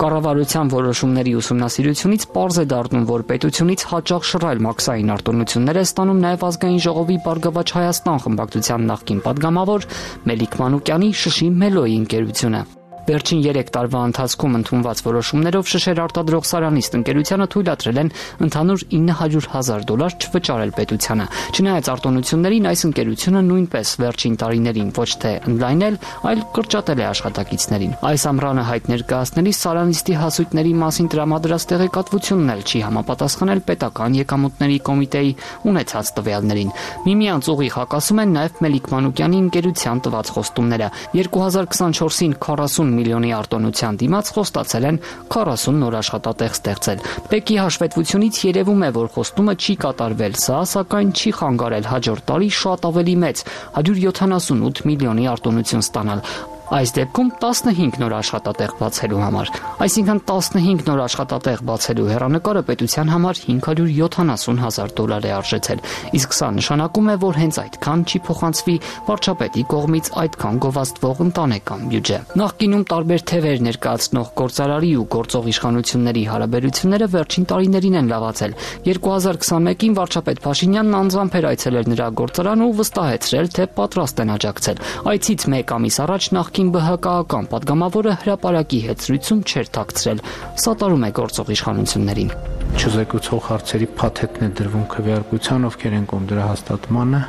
Կառավարության որոշումների ուսումնասիրությունից պարզ է դառնում, որ պետությունից հաճախ շռայլ մաքսային արտոնություններ է ստանում նաև Ազգային ժողովի Բարգավաճ Հայաստան խմբակցության նախկին падգամավոր Մելիք Մանուկյանի Շշի Մելոյի ընկերությունը։ Վերջին 3 տարվա ընթացքում ընդունված որոշումներով շշեր արտադրող Սարանիստ ընկերությանը թույլատրել են ընդհանուր $900,000 չվճարել պետությանը։ Չնայած արտոնություններին, այս ընկերությունը նույնպես վերջին տարիներին ոչ թե ընդլայնել, այլ կրճատել է աշխատակիցներին։ Այս ամռանը հայտ ներկայացնելիս Սարանիստի հասույթների մասին տրամադրած տեղեկատվությունն էլ չի համապատասխանել պետական եկամուտների կոմիտեի ունեցած տվյալներին։ Միմյանց ուղիղ հակասում են նաև Մելիք Մանուկյանի ընկերության տված խոստումները։ 2024-ին 40 միլիոնի արտոնության դիմաց խոստացել են 40 նոր աշխատատեղ ստեղծել։ Պեկի հաշվետվությունից երևում է, որ խոստումը չի կատարվել, սա սակայն չի խանգարել հաջորդ տարի շատ ավելի մեծ 178 միլիոնի արտոնություն ստանալ։ Այս դեպքում 15 նոր աշխատատեղ բացելու համար։ Այսինքն 15 նոր աշխատատեղ բացելու հեռանկարը պետության համար $570,000 է արժեցել։ Իսկ սա նշանակում է, որ հենց այդքան չի փոխանցվի վարչապետի կողմից այդքան գովազդվող ընտանեկան բյուջե։ Նախկինում տարբեր թևեր ներկայացնող գործարարի ու գործող իշխանությունների հարաբերությունները վերջին տարիներին են լավացել։ 2021-ին վարչապետ Փաշինյանն անձամբ էր այցելել նրա գործարան ու վստահեցրել, թե պատրաստ են աջակցել։ Այցից 1 ամիս առաջ նախկին ԲՀԿ-ական падգամավորը հրապարակի հետ զրույցում չէր թաքցրել, սատարում է գործող իշխանություններին։ Չզեկուցող հարցերի փաթեթն է դրվում քվեարկության, ովքեր են կողմ դրա հաստատմանը։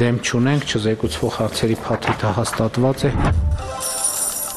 Դեմ չունենք, չզեկուցվող հարցերի փաթեթը հաստատված է։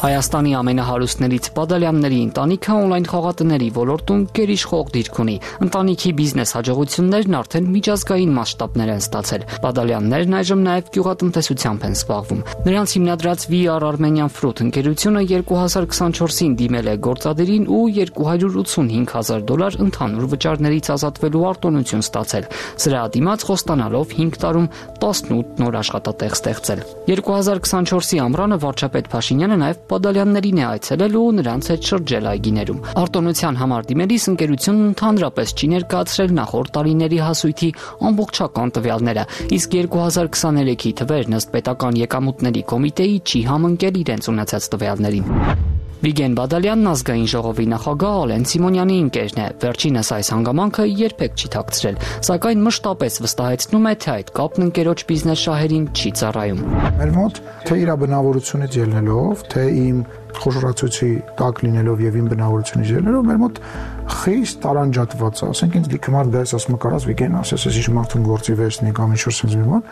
Հայաստանի ամենահարուստներից Բադալյանների ընտանիքը on-line խաղատների ոլորտում գերիշխող դիրք ունի։ Ընտանիքի բիզնես հաջողություններն արդեն միջազգային մասշտաբներ են ստացել։ Բադալյաններն այժմ նաև գյուղատնտեսությամբ են զբաղվում։ Նրանց հիմնադրած VR Armenian Fruit ընկերությունը 2024-ին դիմել է գործադիրին ու $285,000 ընդհանուր վճարներից ազատվելու արտոնություն ստացել։ Սրա դիմաց խոստանալով 5 տարում 18 նոր աշխատատեղ ստեղծել։ 2024-ի ամռանը վարչապետ Փաշինյանը նաև Բադալյաններին է այցելել ու նրանց հետ շրջել այգիներում։ Արտոնության համար դիմելիս ընկերությունն ընդհանրապես չի ներկայացրել նախորդ տարիների հասույթի ամբողջական տվյալները, իսկ 2023-ի թվերն ըստ պետական եկամուտների կոմիտեի չի համընկել իրենց ունեցած տվյալներին։ Վիգեն Բադալյանն ազգային ժողովի նախագահ Ալեն Սիմոնյանի ընկերն է։ Վերջինս այս հանգամանքը երբեք չի թաքցրել, սակայն մշտապես վստահեցնում է, թե այդ կապն ընկերոջ բիզնես շահերին չի ծառայում։ Մեր մոտ թե իր բնավորությունից ելնելով, թե իմ խոշորացույցի տակ լինելով եւ իմ բնավորությունից ելնելով, մեր մոտ խիստ տարանջատված է։ Ասենք ինձ լիքմար դες ասում կարաս Վիգեն ասես, ես ինչ մարդուն գործի վերցնի կամ ինչ-որ sense մի բան,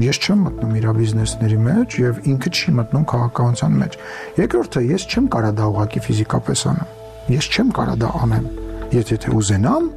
ես չեմ մտնում իր բիզնեսների մեջ եւ ինքը չի մտնում քաղաքականության մեջ։ Երկրորդը, ես չեմ կարա դա ուղղակի ֆիզիկապես անեմ։ Ես չեմ կարա դա անեմ։ Եթե ուզենամ,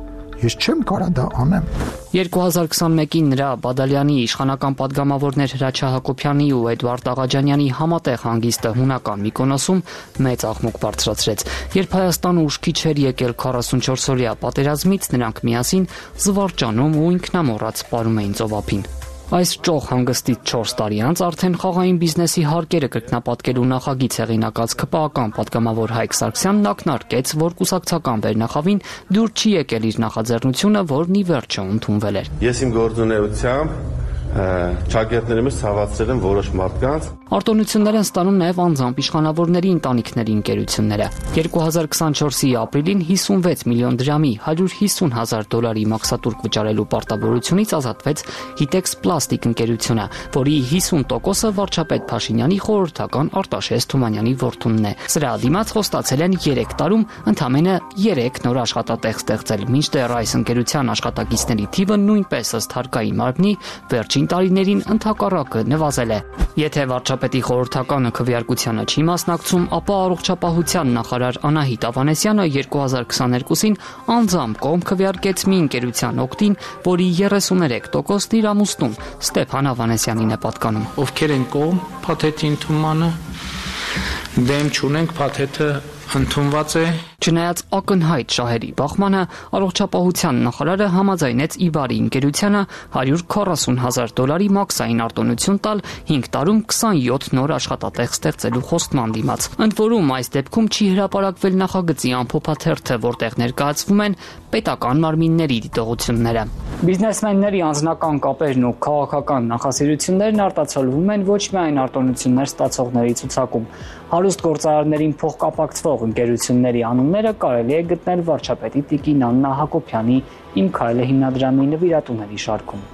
ես չեմ կարա դա անեմ։ 2021-ին նրա Բադալյանի իշխանական падգամավորներ Հրաչյա Հակոբյանի ու Էդվարդ Աղաջանյանի համատեղ հանգիստը հունական Միկոնոսում մեծ աղմուկ բարձրացրեց։ Երբ Հայաստանը ուշքի չէր եկել 44-օրյա պատերազմից, նրանք միասին զվարճանում ու ինքնամոռաց պարում էին ծովափին։ Այս ճոխ հանգստից 4 տարի անց արդեն խաղային բիզնեսի հարկերը կրկնապատկելու նախագիծ հեղինակած ԿՊԱ-ական падգամավոր Հայկ Սարգսյանն ակնարկեց, որ կուսակցական վերնախավին դուր չի եկել իր նախաձեռնությունը, որն ի վերջո ընդունվել էր։ Ես իմ գործունեությամբ ճակերտների մեջ ցավացրել եմ որոշ մարդկանց։ Արտոնություններ են ստանում նաև անձամբ իշխանավորների ընտանիքների ընկերությունները։ 2024-ի ապրիլին 56 միլիոն դրամի $150,000 մաքսատուրք վճարելու պարտավորությունից ազատվեց Hitex Plastic ընկերությունը, որի 50%-ը վարչապետ Փաշինյանի խորհրդական Արտաշես Թումանյանի որդունն է։ Սրա դիմաց խոստացել են 3 տարում ընդամենը 3 նոր աշխատատեղ ստեղծել, մինչդեռ այս ընկերության աշխատակիցների թիվը նույնպես ըստ հարկային մարմնի վերջին տարիներին ընդհակառակը նվազել է։ Եթե վարչապետի խորհրդականը քվեարկությանը չի մասնակցում, ապա առողջապահության նախարար Անահիտ Ավանեսյանը 2022-ին անձամբ կողմ քվեարկեց մի ընկերության օգտին, որի 33%-ն իր ամուսնուն Ստեփան Ավանեսյանին է պատկանում։ Ովքեր են կողմ փաթեթի ընդունմանը, դեմ չունենք, փաթեթը ընդունված է։ Չնայած ակնհայտ շահերի բախմանը, առողջապահության նախարարը համաձայնեց Իբարի ընկերությանը $140,000 մաքսային արտոնություն տալ 5 տարում 27 նոր աշխատատեղ ստեղծելու խոստման դիմաց։ Ընդ որում, այս դեպքում չի հրապարակվել նախագծի ամփոփաթերթը, որտեղ ներկայացվում են պետական մարմինների դիտողությունները։ Բիզնեսմենների անձնական կապերն ու քաղաքական նախասիրություններն արտացոլվում են ոչ միայն արտոնություններ ստացողների ցուցակում։ Հարուստ գործարարներին փոխկապակցվող ընկերությունների անունները կարելի է գտնել վարչապետի Տիկին Աննա Հակոբյանի «Իմ քայլը» հիմնադրամի նվիրատուների շարքում։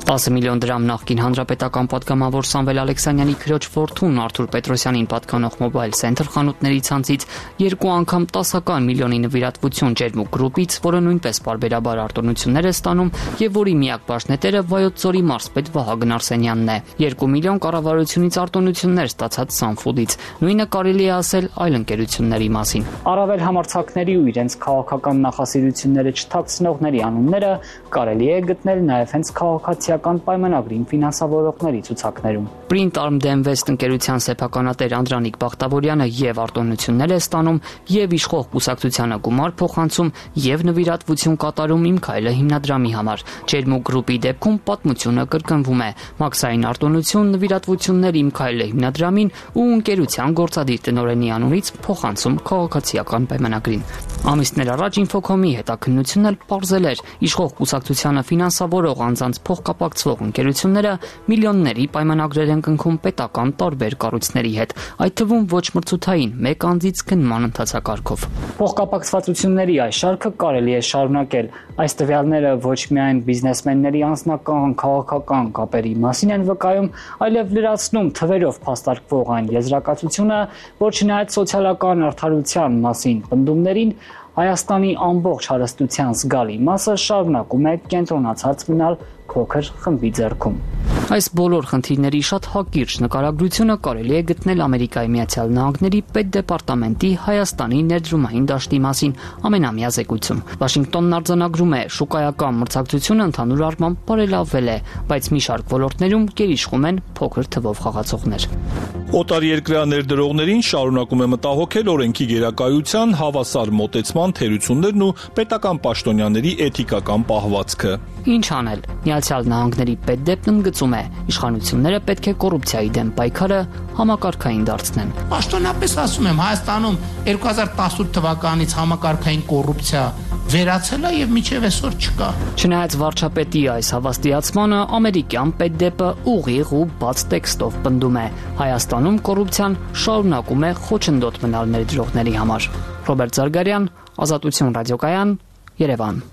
10 միլիոն դրամ նախկին հանրապետական падգամավոր Սամվել Ալեքսանյանի քրոջ որդուն Արթուր Պետրոսյանին պատկանող Mobile Center խանութների ցանցից 2 անգամ 10 միլիոնի նվիրատվություն Ջերմուկ գրուպից, որը նույնպես պարբերաբար արտոնություններ է ստանում եւ որի միակ բաժնետերը Վայոց ձորի մարզպետ Վահագն Արսենյանն է։ 2 միլիոն կառավարությունից արտոնություններ ստացած Sunfood-ից։ Նույնը կարելի է ասել այլ ընկերությունների մասին։ Առավել համարձակների ու իրենց քաղաքական նախասիրությունները չթաքցնողների անունները կարելի է գտնել նաեւ հենց քաղաքացիական պայմանագրին ֆինանսավորողների ցուցակներում։ Print Arm West ընկերության սեփականատեր Անդրանիկ Բախտավորյանը եւ արտոնություններ է ստանում, եւ իշխող կուսակցությանը գումար փոխանցում, եւ նվիրատվություն կատարում «Իմ քայլը» հիմնադրամի համար։ Ջերմուկ գրուպի դեպքում պատմությունը կրկնվում է։ Մաքսային արտոնություն, նվիրատվություններ «Իմ քայլը» հիմնադրամին ու ընկերության գործադիր տնօրենի անունից փոխանցում քաղաքացիական պայմանագրին։ Ամիսներ առաջ Infocom-ի հետաքննությունն էլ պարզել էր, իշխող կուսակցությանը ֆինանսավորող անձանց փոխկապակցվող ընկերությունները միլիոնների պայմանագրեր են կնքում պետական տարբեր կառույցների հետ, այդ թվում ոչ մրցութային, մեկ անձից գնման ընթացակարգով։ Փոխկապակցվածությունների այս շարքը կարելի է շարունակել։ Այս տվյալները ոչ միայն բիզնեսմենների անձնական քաղաքական կապերի մասին են վկայում, այլև լրացնում թվերով փաստարկվող այն եզրակացությունը, որ չնայած սոցիալական արդարության մասին պնդումներին, Հայաստանի ամբողջ հարստության զգալի մասը շարունակում է կենտրոնացած մնալ փոքր խմբի ձեռքում։ Այս բոլոր խնդիրների շատ հակիրճ նկարագրությունը կարելի է գտնել Ամերիկայի Միացյալ Նահանգների պետդեպարտամենտի Հայաստանի ներդրումային դաշտի մասին ամենամյա զեկույցում։ Վաշինգտոնն արձանագրում է, շուկայական մրցակցությունը ընդհանուր առմամբ բարելավվել է, բայց մի շարք ոլորտներում գերիշխում են փոքր թվով խաղացողներ։ Օտարերկրյա ներդրողներին շարունակում է մտահոգել օրենքի գերակայության, հավասար մոտեցման թերություններն ու պետական պաշտոնյաների էթիկական պահվածքը։ Ինչ անել։ Միացյալ Նահանգների պետդեպն ընդգծում է, իշխանությունները պետք է կոռուպցիայի դեմ պայքարը համակարգային դարձնեն։ Պաշտոնապես ասում եմ, Հայաստանում 2018 թվականից համակարգային կոռուպցիա վերացել է եւ մինչեւ այսօր չկա։ Չնայած վարչապետի այս հավաստիացմանը, ամերիկյան պետդեպը ուղիղ ու բաց տեքստով պնդում է. Հայաստանում կոռուպցիան շարունակում է խոչընդոտ մնալ ներդրողների համար։ Ռոբերտ Զարգարյան, Ազատություն ռադիոկայան, Երևան։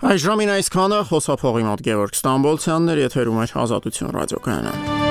Այժմին այսքանը խոսափողի մոտ Գևորգ Ստամբոլցյանն էր, եթերում էր Ազատություն ռադիոկայանը։